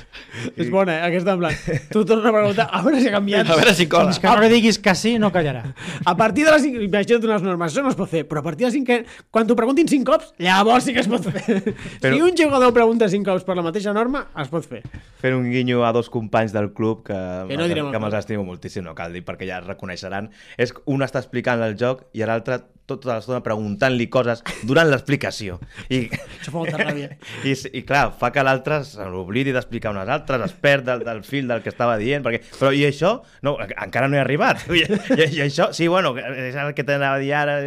És bona, aquesta en plan. Tu tornes a preguntar, a veure si ha canviat. A veure si cola. Fins que no li diguis que sí, no callarà. A partir de les 5... Imagina't unes normes, això no es pot fer, però a partir de les 5... Quan t'ho preguntin 5 cops, llavors sí que es pot fer. Però... Si un jugador pregunta 5 cops per la mateixa norma, es pot fer. Fer un guinyo a 2 companys del club que me'ls estimo moltíssim, no cal dir, perquè ja es reconeixeran. És un està explicant el joc i l'altre tota l'estona preguntant-li coses durant l'explicació. Això fa molta ràbia. I clar, fa que l'altre se l'oblidi d'explicar unes altres, es perd del fil del que estava dient, però i això? No, encara no he arribat. I això, sí, bueno, és el que t'anava a dir ara.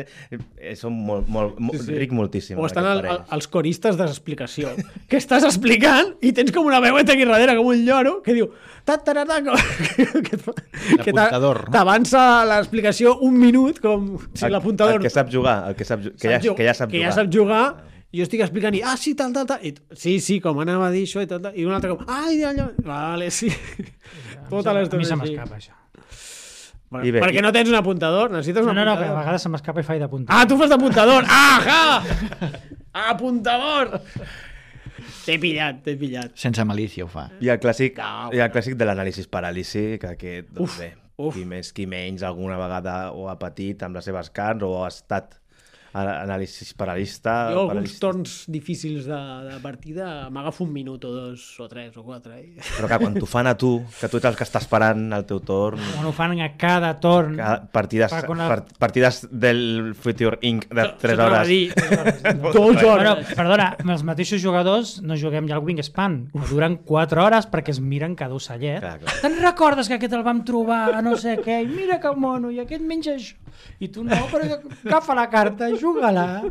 Són ric moltíssim. O estan els coristes d'explicació, que estàs explicant i tens com una veueta aquí darrere, com un lloro, que diu... que t'avança l'explicació un minut, com si l'apuntador... El que sap jugar, que ja sap jugar. Jo estic explicant i, sí, tal. I, sí, com anava a dir això i tal. I un altre com, allò. Vale, sí. Tota l'estona. A mi se m'escapa, això. Perquè no tens un apuntador, necessites un apuntador. No, que a vegades se m'escapa i faig d'apuntador. Tu fas d'apuntador! Apuntador! T'he pillat. Sense malícia ho fa. I el clàssic de l'anàlisis-paràlisi, que aquest, doncs bé, qui més, qui menys, alguna vegada ho ha patit amb les seves carns o ha estat anàlisis paralista. Jo alguns torns difícils de partida m'agafo un minut o 2 o 3 o 4. Però clar, quan t'ho fan a tu, que tu ets el que està esperant el teu torn... Quan ho fan a cada torn... Partides del Future Inc. de 3 hores. 2 hores. Perdona, els mateixos jugadors no juguem ja al Wingspan, que duren 4 hores perquè es miren cada ocellet. Clar. Te'n recordes que aquest el vam trobar a no sé què, i mira que mono, i aquest menja això. I tu no, però agafa la carta, juga-la.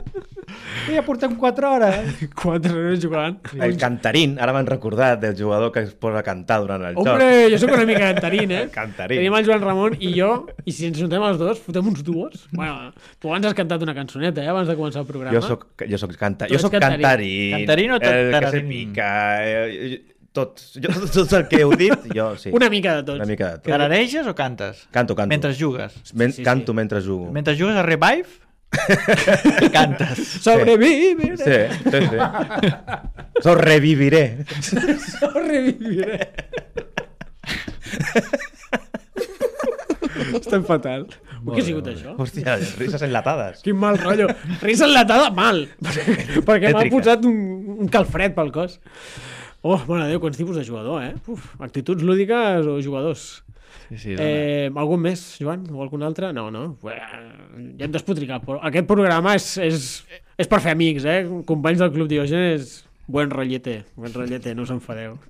I ja portem 4 hores. 4 hores jugant. El cantarín, ara m'han recordat del jugador que es posa a cantar durant el joc. Hombre, jo soc una mica cantarín, Cantarín. Tenim el Joan Ramon i jo, i si ens juntem els dos, fotem uns duos. Bueno, tu abans has cantat una cançoneta, abans de començar el programa. Jo soc cantarín. Cantarín o el que se pica... Tot el que heu dit, jo sí. Una mica de tots. Tarareges o cantes? Canto. Mentre jugues? Canto mentre jugo. Mentre jugues a Revive? Cantes. Sobreviviré. Sí. Sobreviviré. Estem fatal. Què ha sigut això? Hòstia, risses enlatades. Quin mal rotllo. Risa enlatada, mal. Perquè m'ha posat un calfred pel cos. Oh, mare Déu, quants tipus de jugador, actituds lúdiques o jugadors. Sí, algun més, Joan? O algun altre? No. Ja hem despotricat. Aquest programa és per fer amics, companys del Club Diògenes. Buen rollete, no us enfadeu.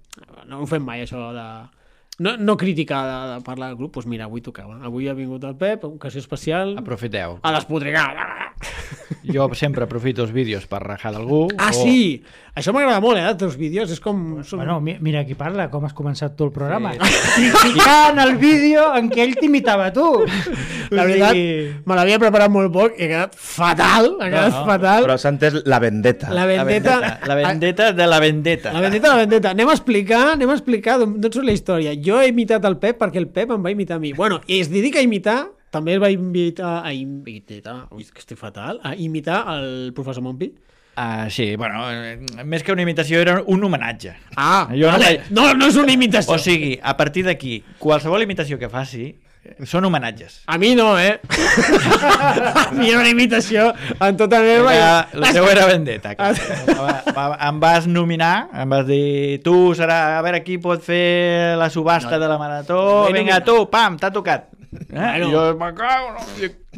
No ho fem mai, això de... No criticar de parlar del grup, doncs mira, avui tocava. Avui ha vingut el Pep, ocasió especial... Aprofiteu. A despotricar. Jo sempre aprofito els vídeos per rajar d'algú. Sí! Això m'agrada molt, els teus vídeos. És com... Bueno, mira qui parla, com has començat tu el programa. Criticant el vídeo en què ell t'imitava tu. La veritat, me l'havia preparat molt poc i ha quedat fatal. Fatal. Però s'ha entès la vendetta. La vendetta de la vendetta. Anem a explicar d'on surt la història. jo he imitat el Pep perquè el Pep em va imitar a mi. Bueno, i es dedica a imitar, també el va imitar ui, que estic fatal, a imitar el professor Montpi. Sí, bueno, més que una imitació era un homenatge. Jo vale. No és una imitació. O sigui, a partir d'aquí, qualsevol imitació que faci són homenatges. A mi no, A mi era una imitació en tota meva... La teva era vendetta. Em vas nominar, em vas dir, tu serà, a veure qui pot fer la subhasta de la marató, vinga tu, pam, t'ha tocat. Jo me cago,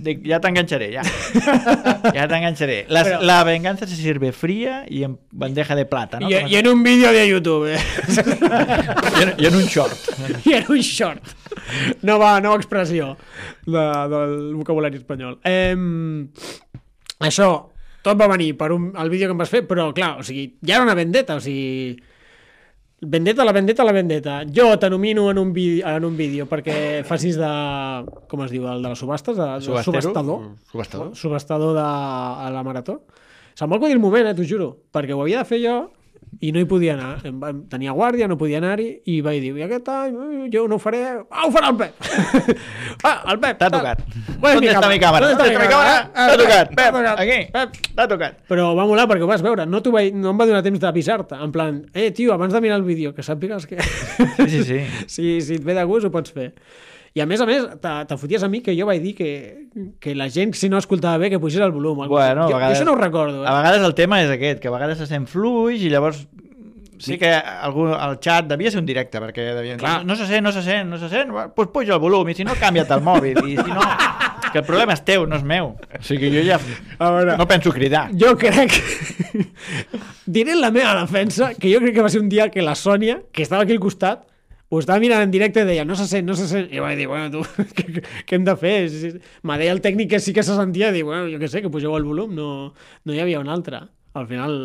dic, ja t'enganxaré, ja t'enganxaré. La venganza se sirve fría y en bandeja de plata, ¿no? I en un vídeo de YouTube, I en un short. I en un short. Nova expressió del vocabulari espanyol. Això, tot va venir per el vídeo que em vas fer, però clar, o sigui, ja era una vendetta, o sigui... La vendetta. Jo t'anomino en un vídeo perquè facis de... Com es diu? El de les subhastes? Subhastador de la marató. Se'm va acudir el moment, t'ho juro, perquè ho havia de fer jo i no hi podia anar. Tenia guàrdia, no podia anar-hi i vaig dir, i aquest any jo no ho faré... ho farà el Pep! El Pep! T'ha tocat. On està mi càmera? T'ha tocat, Pep! Aquí! T'ha tocat. Però va molar perquè ho vas veure. No em va donar temps d'avisar-te. En plan, tio, abans de mirar el vídeo, que sàpigues que... Sí. Si et ve de gust ho pots fer. I a més, te foties a mi que jo vaig dir que la gent, si no escoltava bé, que pugés el volum. Bueno, jo això no ho recordo. A vegades el tema és aquest, que a vegades se sent fluix i llavors sí que el xat devia ser un directe, perquè devien dir, no se sent, doncs puja el volum, i si no, canvia't el mòbil, i si no... Que el problema és teu, no és meu. O sigui, jo ja no penso cridar. Jo crec... Diré en la meva defensa que jo crec que va ser un dia que la Sònia, que estava aquí al costat, ho estava mirant en directe i deia, no se sent. I vaig dir, bueno, tu, què hem de fer? Me deia el tècnic que sí que se sentia, i dic, bueno, jo què sé, que pugeu el volum, no hi havia un altre. Al final,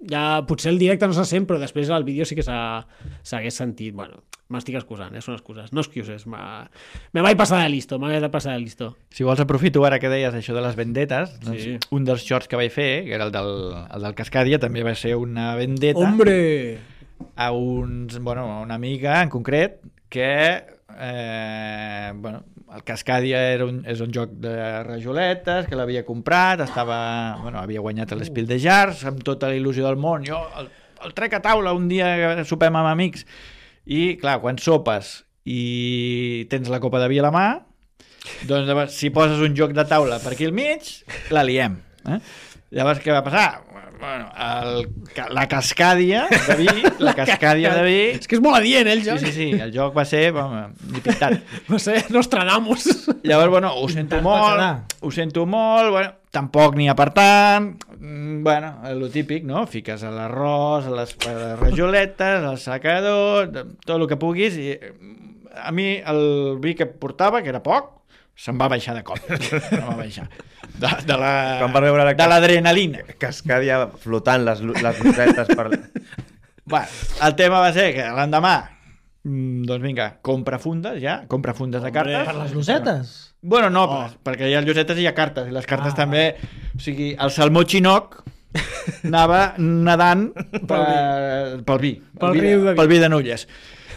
ja potser el directe no se sent, però després el vídeo sí que s'hagués sentit. Bueno, m'estic excusant, són excuses, no excuses. Me vaig passar de listo, Si vols aprofito ara que deies això de les vendetes, doncs sí. Un dels shorts que vaig fer, que era el del Cascadia, també va ser una vendeta. Hombre! A una amiga en concret que el Cascadia és un joc de rajoletes que l'havia comprat, havia guanyat l'Spiel de Jars amb tota la il·lusió del món, jo el trec a taula un dia que sopem amb amics i clar, quan sopes i tens la copa de vi a la mà, doncs si poses un joc de taula per aquí al mig la liem, llavors què va passar? La Cascadia de vi, és que és molt adient, el joc. Sí, el joc va ser ni pintat. Va ser Nostradamus. Llavors, ho sento molt, tampoc n'hi ha per tant, el típic, no? Fiques a l'arròs, a les rajoletes, al secador, tot el que puguis, i a mi el vi que portava, que era poc, se'm va baixar de cop. De l'adrenalina. Cascadia flotant les lucetes per... El tema va ser que l'endemà doncs vinga, compra fundes de cartes. Per les lucetes? Bueno, no, perquè hi ha lucetes i hi ha cartes, i les cartes també, o sigui, el salmó xinoc anava nedant pel vi de Nulles.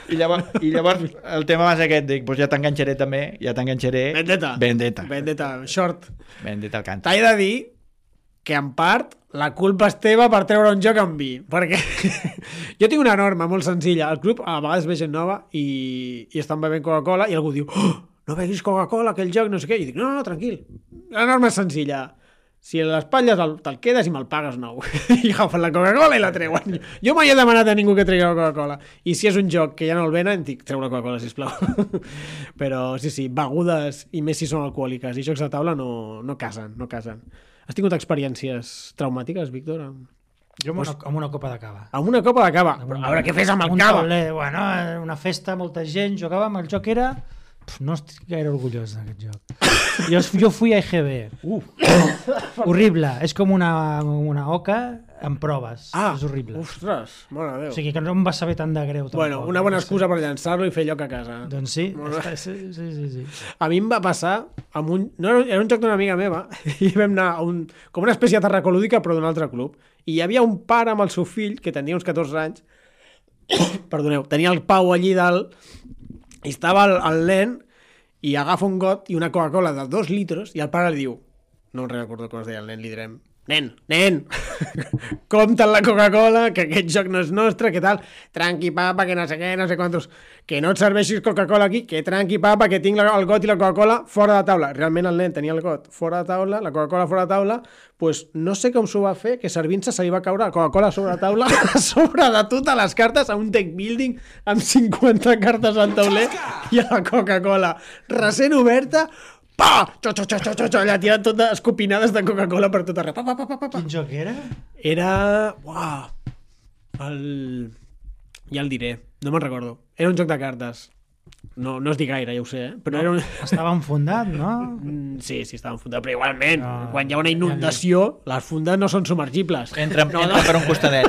I llavors el tema va ser aquest, dic, doncs ja t'enganxaré també, Vendetta, short. Vendetta al cant. T'he de dir que en part la culpa és teva per treure un joc amb vi, perquè jo tinc una norma molt senzilla, al club a vegades ve gent nova i estan bevent Coca-Cola i algú diu, no beguis Coca-Cola, aquell joc, no sé què, i dic, no, tranquil, la norma és senzilla. Si a l'espatlles te'l quedes i me'l pagues nou. I agafen la Coca-Cola i la treuen. Jo mai he demanat a ningú que tregui la Coca-Cola. I si és un joc que ja no el venen, dic, treu la Coca-Cola, sisplau. Però sí, begudes, i més si són alcohòliques, i jocs de taula no casen. Has tingut experiències traumàtiques, Víctor? Jo amb una copa de cava. Amb una copa de cava? Però a veure què fes amb el cava? Bueno, una festa, molta gent, jugàvem, el joc era... No estic gaire orgullós d'aquest joc. Jo fui a EGB. Horrible. És com una oca amb proves. És horrible. Ostres, mare de Déu. O sigui que no em va saber tant de greu. Bueno, una bona excusa per llançar-lo i fer lloc a casa. Doncs sí. Sí. A mi em va passar amb era un joc d'una amiga meva i vam anar a com una espècie de terracolúdica però d'un altre club. I hi havia un pare amb el seu fill que tenia uns 14 anys Perdoneu, tenia el Pau allí dalt i estava el nen i agafa un got i una Coca-Cola de 2 litres i el pare li diu, no recordo com es deia el nen, li direm, nen, compta la Coca-Cola, que aquest joc no és nostre, que tal, tranqui papa, que no sé què, no sé quantos, que no et serveixis Coca-Cola aquí, que tranqui papa, que tinc el got i la Coca-Cola fora de taula. Realment el nen tenia el got fora de taula, la Coca-Cola fora de taula, pues no sé com s'ho va fer, que servint-se se li va caure la Coca-Cola sobre la taula, a sobre de totes les cartes, a un deck building amb 50 cartes al tauler i a la Coca-Cola recent oberta, pa! Allà tirant totes escopinades de Coca-Cola per tot arreu. Quin joc era? Era... Uau! Ja el diré. No me'n recordo. Era un joc de cartes. No es dic gaire, ja ho sé, però era un... Estava enfondat, no? Sí, estava enfundat, però igualment, quan hi ha una inundació, les fundes no són submergibles. Entra per un costadet.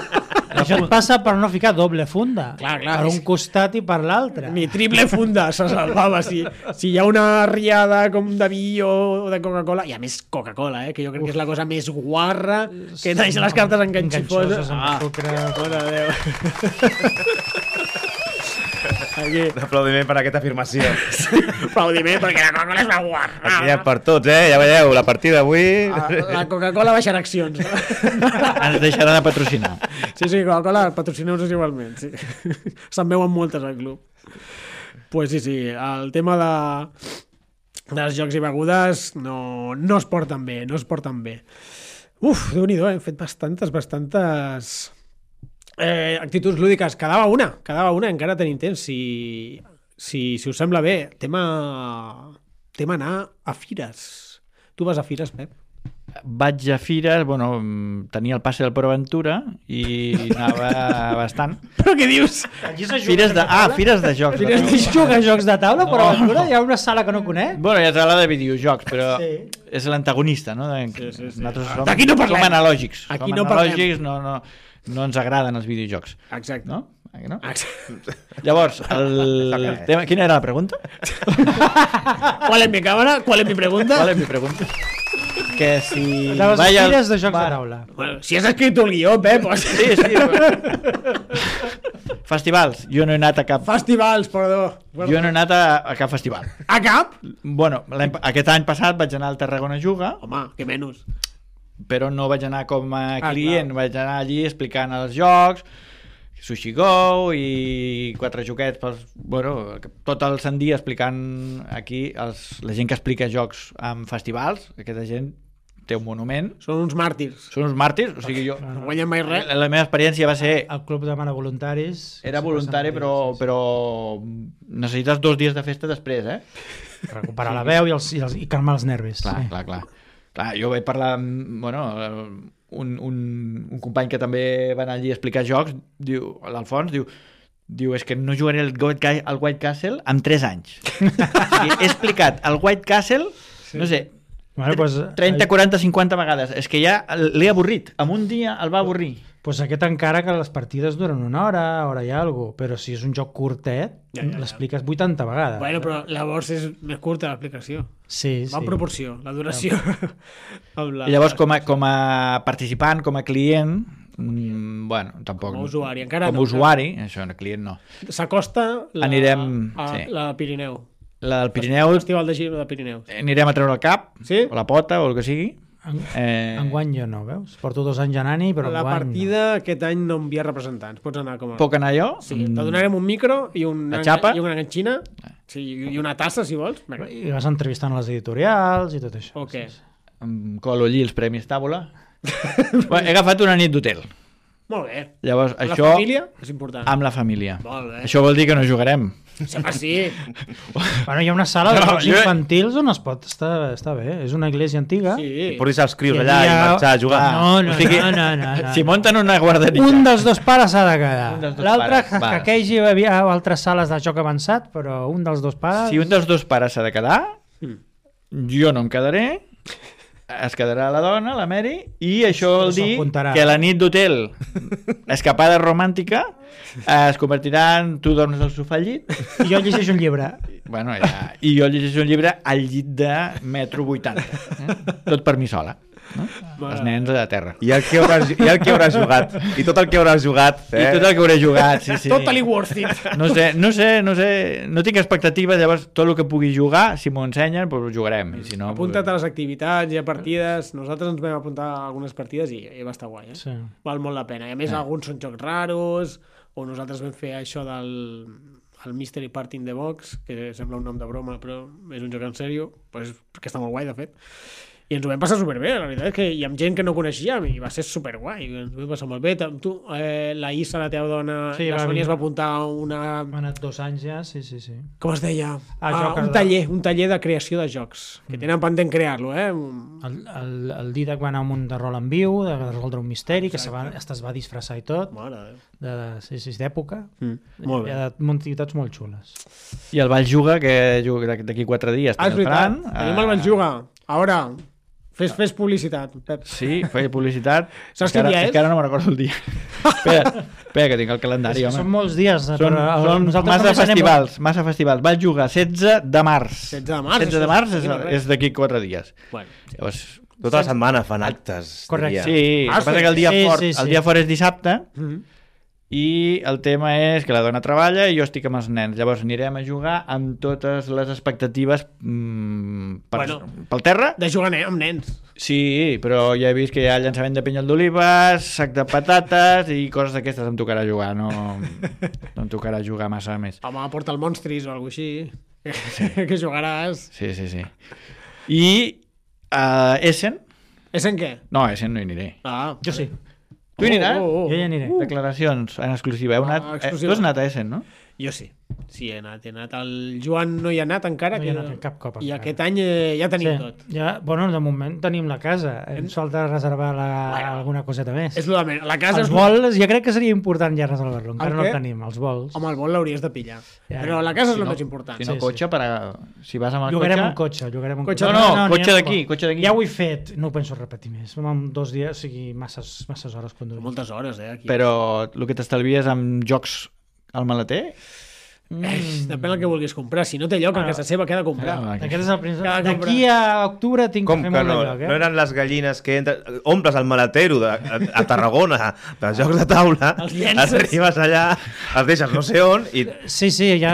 Això et passa per no ficar doble funda. Clar. Per un costat i per l'altre. Ni triple funda se salvava. Si hi ha una riada com de vi o de Coca-Cola, i a més Coca-Cola, que jo crec que és la cosa més guarra que deixa les cartes enganxifoses. Amb sucre. Mare de Déu. Aquí. Aplaudiment per aquesta afirmació. Aplaudiment perquè la Coca-Cola és una guarra. Aquí hi ha per tots, ja veieu, la partida avui... La Coca-Cola baixarà accions. Ens deixaran de patrocinar. Sí, Coca-Cola, patrocineu-nos igualment. Sí. Se'n veuen moltes al club. Pues sí, el tema dels jocs i begudes no es porten bé, Uf, Déu-n'hi-do, hem fet bastantes actituds lúdiques. Quedava una, encara tenim temps. Si us sembla bé, tema anar a fires. Tu vas a fires, Pep? Vaig a fires, tenia el passe del ProAventura i anava bastant. Però què dius? Fires de jocs. Juga a jocs de taula, però hi ha una sala que no conec. Hi ha sala de videojocs, però és l'antagonista, no? Nosaltres d'aquí no parlem. Som analògics. Aquí no parlem. No ens agraden els videojocs. Exacte. No? No? Llavors, el tema... Quina era la pregunta? ¿Cuál es mi cámara? ¿Cuál es mi pregunta? ¿Cuál es mi pregunta? Que si... Anaves a fires de jocs de taula. Bueno, si has escrit un guió, Pep. Pues... Sí. Festivals. Jo no he anat a cap... Festivals, perdó. Jo no he anat a cap festival. A cap? Aquest any passat vaig anar al Tarragona Juga. Home, que menys. Però no vaig anar com a client, vaig anar allí explicant els jocs, Sushi Go i 4 joguets, tot el sant dia explicant aquí la gent que explica jocs en festivals, aquesta gent té un monument. Són uns màrtirs. O sigui, jo... No guanyen mai res. La meva experiència va ser... El club demana voluntaris. Era voluntari, però necessites 2 dies de festa després, Recuperar la veu i calmar els nervis. Clar, jo vaig parlar amb un company que també va anar allí a explicar jocs, l'Alfons, diu és que no jugaré al White Castle en 3 anys. O sigui, he explicat el White Castle, no sé, 30, 40, 50 vegades. És que ja l'he avorrit. En un dia el va avorrir. Pues aquest encara que les partides duren una hora i alguna cosa, però si és un joc curtet, l'expliques 80 vegades. Bueno, però llavors és més curta l'explicació. Sí. Va en proporció, la duració. I llavors, com a participant, com a client, tampoc... Com a usuari, encara no. Com a usuari, això, client no. S'acosta la Pirineu. La del Pirineu... El Festival de Giro de Pirineus. Anirem a treure el cap, o la pota, o el que sigui. Enguany jo no, veus? Porto 2 anys anant-hi, però la partida aquest any no envia representants. Pots anar com a... Puc anar jo? Sí, te donarem un micro i una enganxina i una tassa, si vols. I vas entrevistant les editorials i tot això. O què? Em colo allí els premis tàbula. He agafat una nit d'hotel. Molt bé. Llavors, amb la família és important. Amb la família. Molt bé. Això vol dir que no jugarem. Sí. Bueno, hi ha una sala de jocs infantils on es pot estar bé. És una església antiga. Sí. Pots deixar els crios allà i marxar a jugar. No. Si munten una guarderia. Un dels 2 pares s'ha de quedar. L'altre hackeja hi havia altres sales de joc avançat, però un dels 2 pares... Si un dels 2 pares s'ha de quedar, jo no em quedaré. Es quedarà la dona, la Mary, i això vol dir que la nit d'hotel escapada romàntica es convertirà en tu dormes al sofà al llit i jo llegeixo un llibre i jo llegeixo un llibre al llit de metro 80 tot per mi sola. no? Els nens a terra. I el que hauràs jugat. I tot el que hauràs jugat. I tot el que hauré jugat, sí. Totally worth it. No sé, no tinc expectatives, llavors tot el que pugui jugar, si m'ho ensenyen, doncs ho jugarem. I si no, Apunta't a les activitats i a partides. Nosaltres ens vam apuntar a algunes partides i va estar guai, Sí. Val molt la pena. I a més, alguns són jocs raros, o nosaltres vam fer això del Mystery Party in the Box, que sembla un nom de broma, però és un joc en sèrio, pues, que està molt guai, de fet. I ens ho vam passar superbé, la veritat és que hi ha gent que no coneixíem i va ser superguai, ens ho vam passar molt bé. Tu, la Isa, la teva dona, Sí, la Sònia es va apuntar a una... Ha anat 2 anys ja, sí. Com es deia? jocs Un taller de creació de jocs, que tenen pendent crear-lo, El Didac va anar a un munt de rol en viu, de resoldre un misteri, que es va disfressar i tot, Mare de Déu. d'època. Molt bé. Hi ha activitats molt xules. I el Valls Juga, que juga d'aquí 4 dies. És veritat, tenim el Valls-Juga. Ara, fes publicitat, Pep. Sí, feia publicitat. Saps quin dia és? Encara no me'n recordo el dia. Espera, que tinc el calendari, home. Són molts dies. Són massa festivals. Vaig jugar 16 de març. 16 de març. 16 de març és d'aquí 4 dies. Bueno, Llavors, Tota la setmana fan actes. Correcte. sí, el que passa que el dia fort és dissabte, i el tema és que la dona treballa i jo estic amb els nens. Llavors anirem a jugar amb totes les expectatives pel terra. de jugar amb nens. Sí, però ja he vist que hi ha llançament de pinyol d'olives, sac de patates i coses d'aquestes em tocarà jugar, no em tocarà jugar massa més. Home, porta el Monstris o alguna així, que jugaràs. Sí. I Essen? Essen què? No, Essen no hi aniré. Jo sí. Tu hi aniràs? Jo hi aniré. Declaracions en exclusiva. Tu has anat a Essen, no? Jo sí. Sí, he anat. El Joan no hi ha anat encara. No hi ha anat cap cop I encara. aquest any ja tenim tot. Ja, bueno, de moment tenim la casa. Ens falta reservar alguna coseta més. És el de la casa. Els vols, jo crec que seria important ja reservar-lo. Encara no què? el tenim, els vols. Home, el vol l'hauries de pillar. Ja. Però la casa és el més important. Si no, cotxe, si vas amb el Llogarem cotxe... un cotxe. Cotxe. No, cotxe d'aquí. Ja ho he fet, no ho penso repetir més. En 2 dies, o sigui, masses hores conduint. Moltes hores, aquí. Però el que t'estalvies amb jocs al maleter... Depèn del que vulguis comprar. Si no té lloc, a casa seva queda comprar. Aquest és el principi. Cada compra. D'aquí a octubre tinc Com que que fer no? molt de lloc, No eren les gallines que omples el maletero a Tarragona de jocs de taula, Els llences. arribes allà, els deixes no sé on i... Sí, ja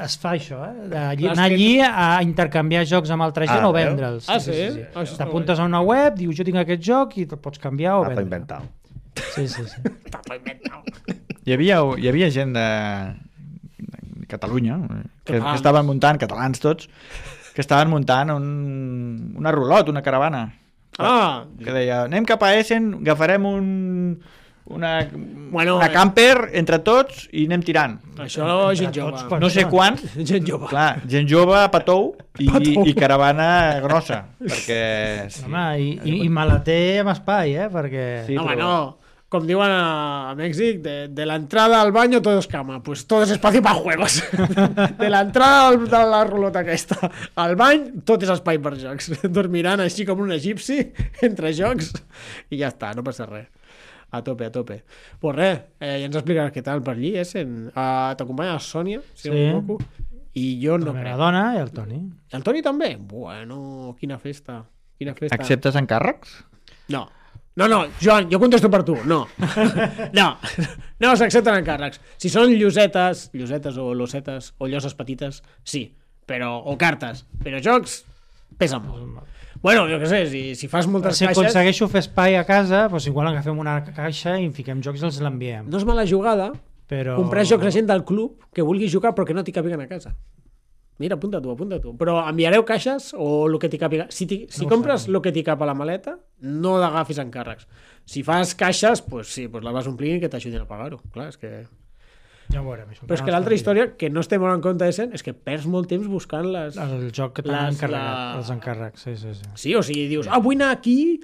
es fa això, anar allí a intercanviar jocs amb altra gent o vendre'ls. Ah, sí? Ah, això està T'apuntes a una web, dius jo tinc aquest joc i te'l pots canviar o Tapa vendre. inventat. Sí. Hi havia gent de Catalunya que estaven muntant, catalans tots, que estaven muntant una rulot, una caravana. Que deia, anem cap a Essen, agafarem una camper entre tots i anem tirant. Això gent jove. No sé quants. Gent jove. Clar, gent jove, patou i caravana grossa. Perquè... Sí. Home, i maleter amb espai, perquè... Sí, Home, no. Com diuen a Mèxic, de la entrada al baño todo es cama, pues todo es espacio para juegos. De la entrada de la rulota aquesta al bany, tot és espai per jocs. Dormiran així com un egipci entre jocs i ja està, no passa res. A tope. Pues res, ja ens explicaràs què tal per allí, t'acompanya la Sònia, si no m'equivoco, i jo no crec. La dona i el Toni. El Toni també? Bueno, quina festa. Acceptes encàrrecs? No, Joan, jo contesto per tu, no s'accepten encàrrecs. Si són llosetes o losetes o lloses petites, sí, o cartes, però jocs pesen molt. Bueno, jo què sé, si fas moltes caixes... Si aconsegueixo fer espai a casa, doncs igual agafem una caixa i en fiquem jocs i els l'enviem. No és mala jugada comprar jocs a gent del club que vulgui jugar però que no t'hi càpiguen a casa. Mira, apunta-t'ho. Però enviareu caixes o el que t'hi càpiga? Si compres el que t'hi cap a la maleta, no l'agafis encàrrecs. Si fas caixes, pues sí, pues la vas omplint i que t'ajudin a pagar-ho. Clar, és que... Ja ho veurem. Però és que l'altra història, que no estem molt en compte és que perds molt temps buscant el joc que t'han encarregat, els encàrrecs. Sí. Sí, o sigui, dius, vull anar aquí,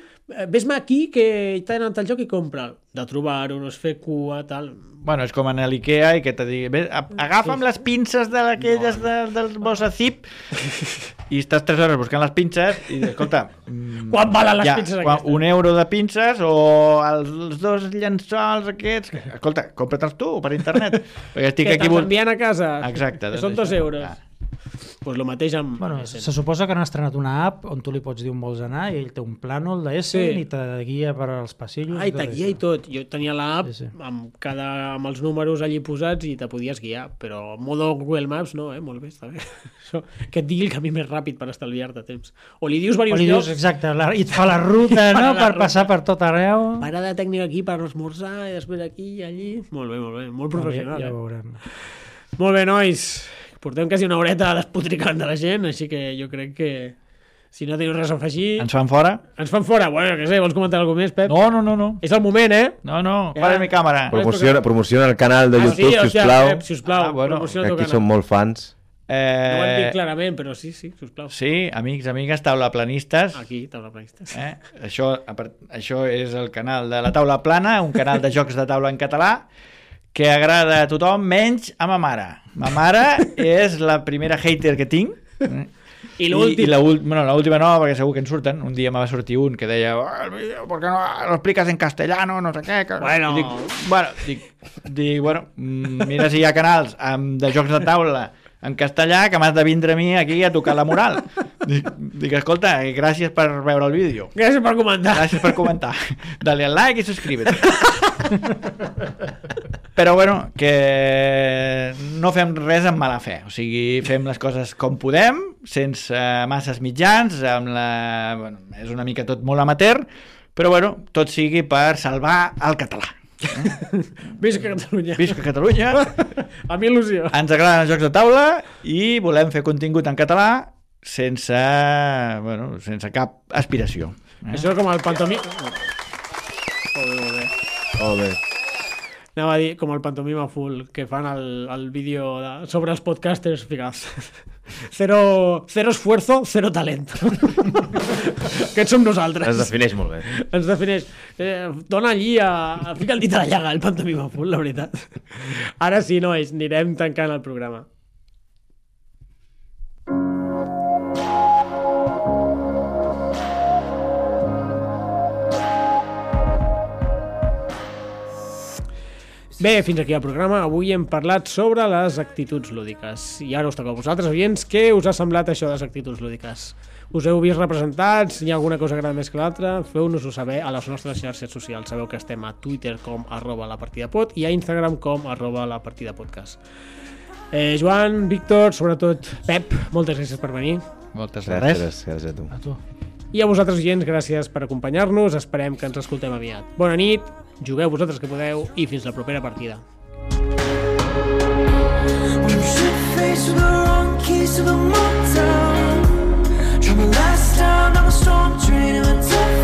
ves-me aquí que t'ha anat el joc i compra. De trobar-ho, no es fer cua, tal... Bueno, és com anar a l'Ikea i que te digui agafa'm les pinces d'aquelles del Bossa Zip i estàs 3 hores buscant les pinces i escolta, quan valen les pinces aquestes? €1 de pinces o els 2 llençols aquests, escolta, compra-te'ls tu per internet perquè estic que aquí t'envien a casa. exacte, que són €2. Pues lo mateix amb... Bueno, Essen. se suposa que han estrenat una app on tu li pots dir on vols anar i ell té un plànol d'Essen i te guia per als passillos. I te guia i tot. Jo tenia l'app Sí. amb els números allí posats i te podies guiar, però modo Google Maps no, molt bé, està bé. Això, que et digui el camí més ràpid per estalviar-te temps. O li dius O diversos li dius, llocs, exacte, i et fa la ruta, no?, per passar per tot arreu. parada tècnica aquí per esmorzar i després aquí i allí. Molt bé, molt professional. Ja ho veurem. Molt bé, nois. Portem quasi una horeta despotricant de la gent, així que jo crec que si no teniu res a afegir... Ens fan fora? Ens fan fora. Bueno, què sé, vols comentar alguna cosa més, Pep? No. És el moment, No, Ja. para mi càmera. Promociona el canal de YouTube, sisplau. Pep, sisplau, bueno, promociona el Aquí teu som canal. molt fans. No ho hem dit clarament, però sí, sisplau. Sí, amics, amigues, taulaplanistes. Aquí, taula planistes. Això és el canal de la Taula Plana, un canal de jocs de taula en català que agrada a tothom, menys a ma mare. Ma mare és la primera hater que tinc. I l'últim. L'última no, perquè segur que en surten. Un dia me va sortir un que deia el vídeo, ¿por qué no lo explicas en castellano? No sé què. Bueno. Dic, mira si hi ha canals de jocs de taula en castellà que m'has de vindre a mi aquí a tocar la moral. Dic, escolta, gràcies per veure el vídeo. Gràcies per comentar. Gràcies per comentar. Dale al like i subscríbete. Però bueno, que no fem res amb mala fe. O sigui, fem les coses com podem, sense masses mitjans, és una mica tot molt amateur, però bueno, tot sigui per salvar el català. Visca Catalunya. Visca Catalunya. A mi il·lusió. Ens agraden els jocs de taula i volem fer contingut en català sense cap aspiració. Això és com el pantomima... Molt bé. Anava a dir, com el pantomima full, que fan el vídeo sobre els podcasters, ficaos. Cero esfuerzo, cero talento. Aquests som nosaltres. Es defineix molt bé. Ens defineix. Dona allí, fica el dit a la llaga, el pantomima full, la veritat. Ara sí, nois, anirem tancant el programa. Bé, fins aquí el programa. Avui hem parlat sobre les actituds lúdiques. I ara us toca a vosaltres, oients, què us ha semblat això de les actituds lúdiques? Us heu vist representats? Hi ha alguna cosa que agrada més que l'altra? Feu-nos-ho saber a les nostres xarxes socials. Sabeu que estem a Twitter com @lapartidapod i a Instagram com @lapartidapodcast. Joan, Víctor, sobretot Pep, moltes gràcies per venir. Moltes gràcies. Gràcies a tu. A tu. I a vosaltres, oients, gràcies per acompanyar-nos. Esperem que ens escoltem aviat. Bona nit, jugueu vosaltres que podeu i fins la propera partida. From the last time I was storm train in a tough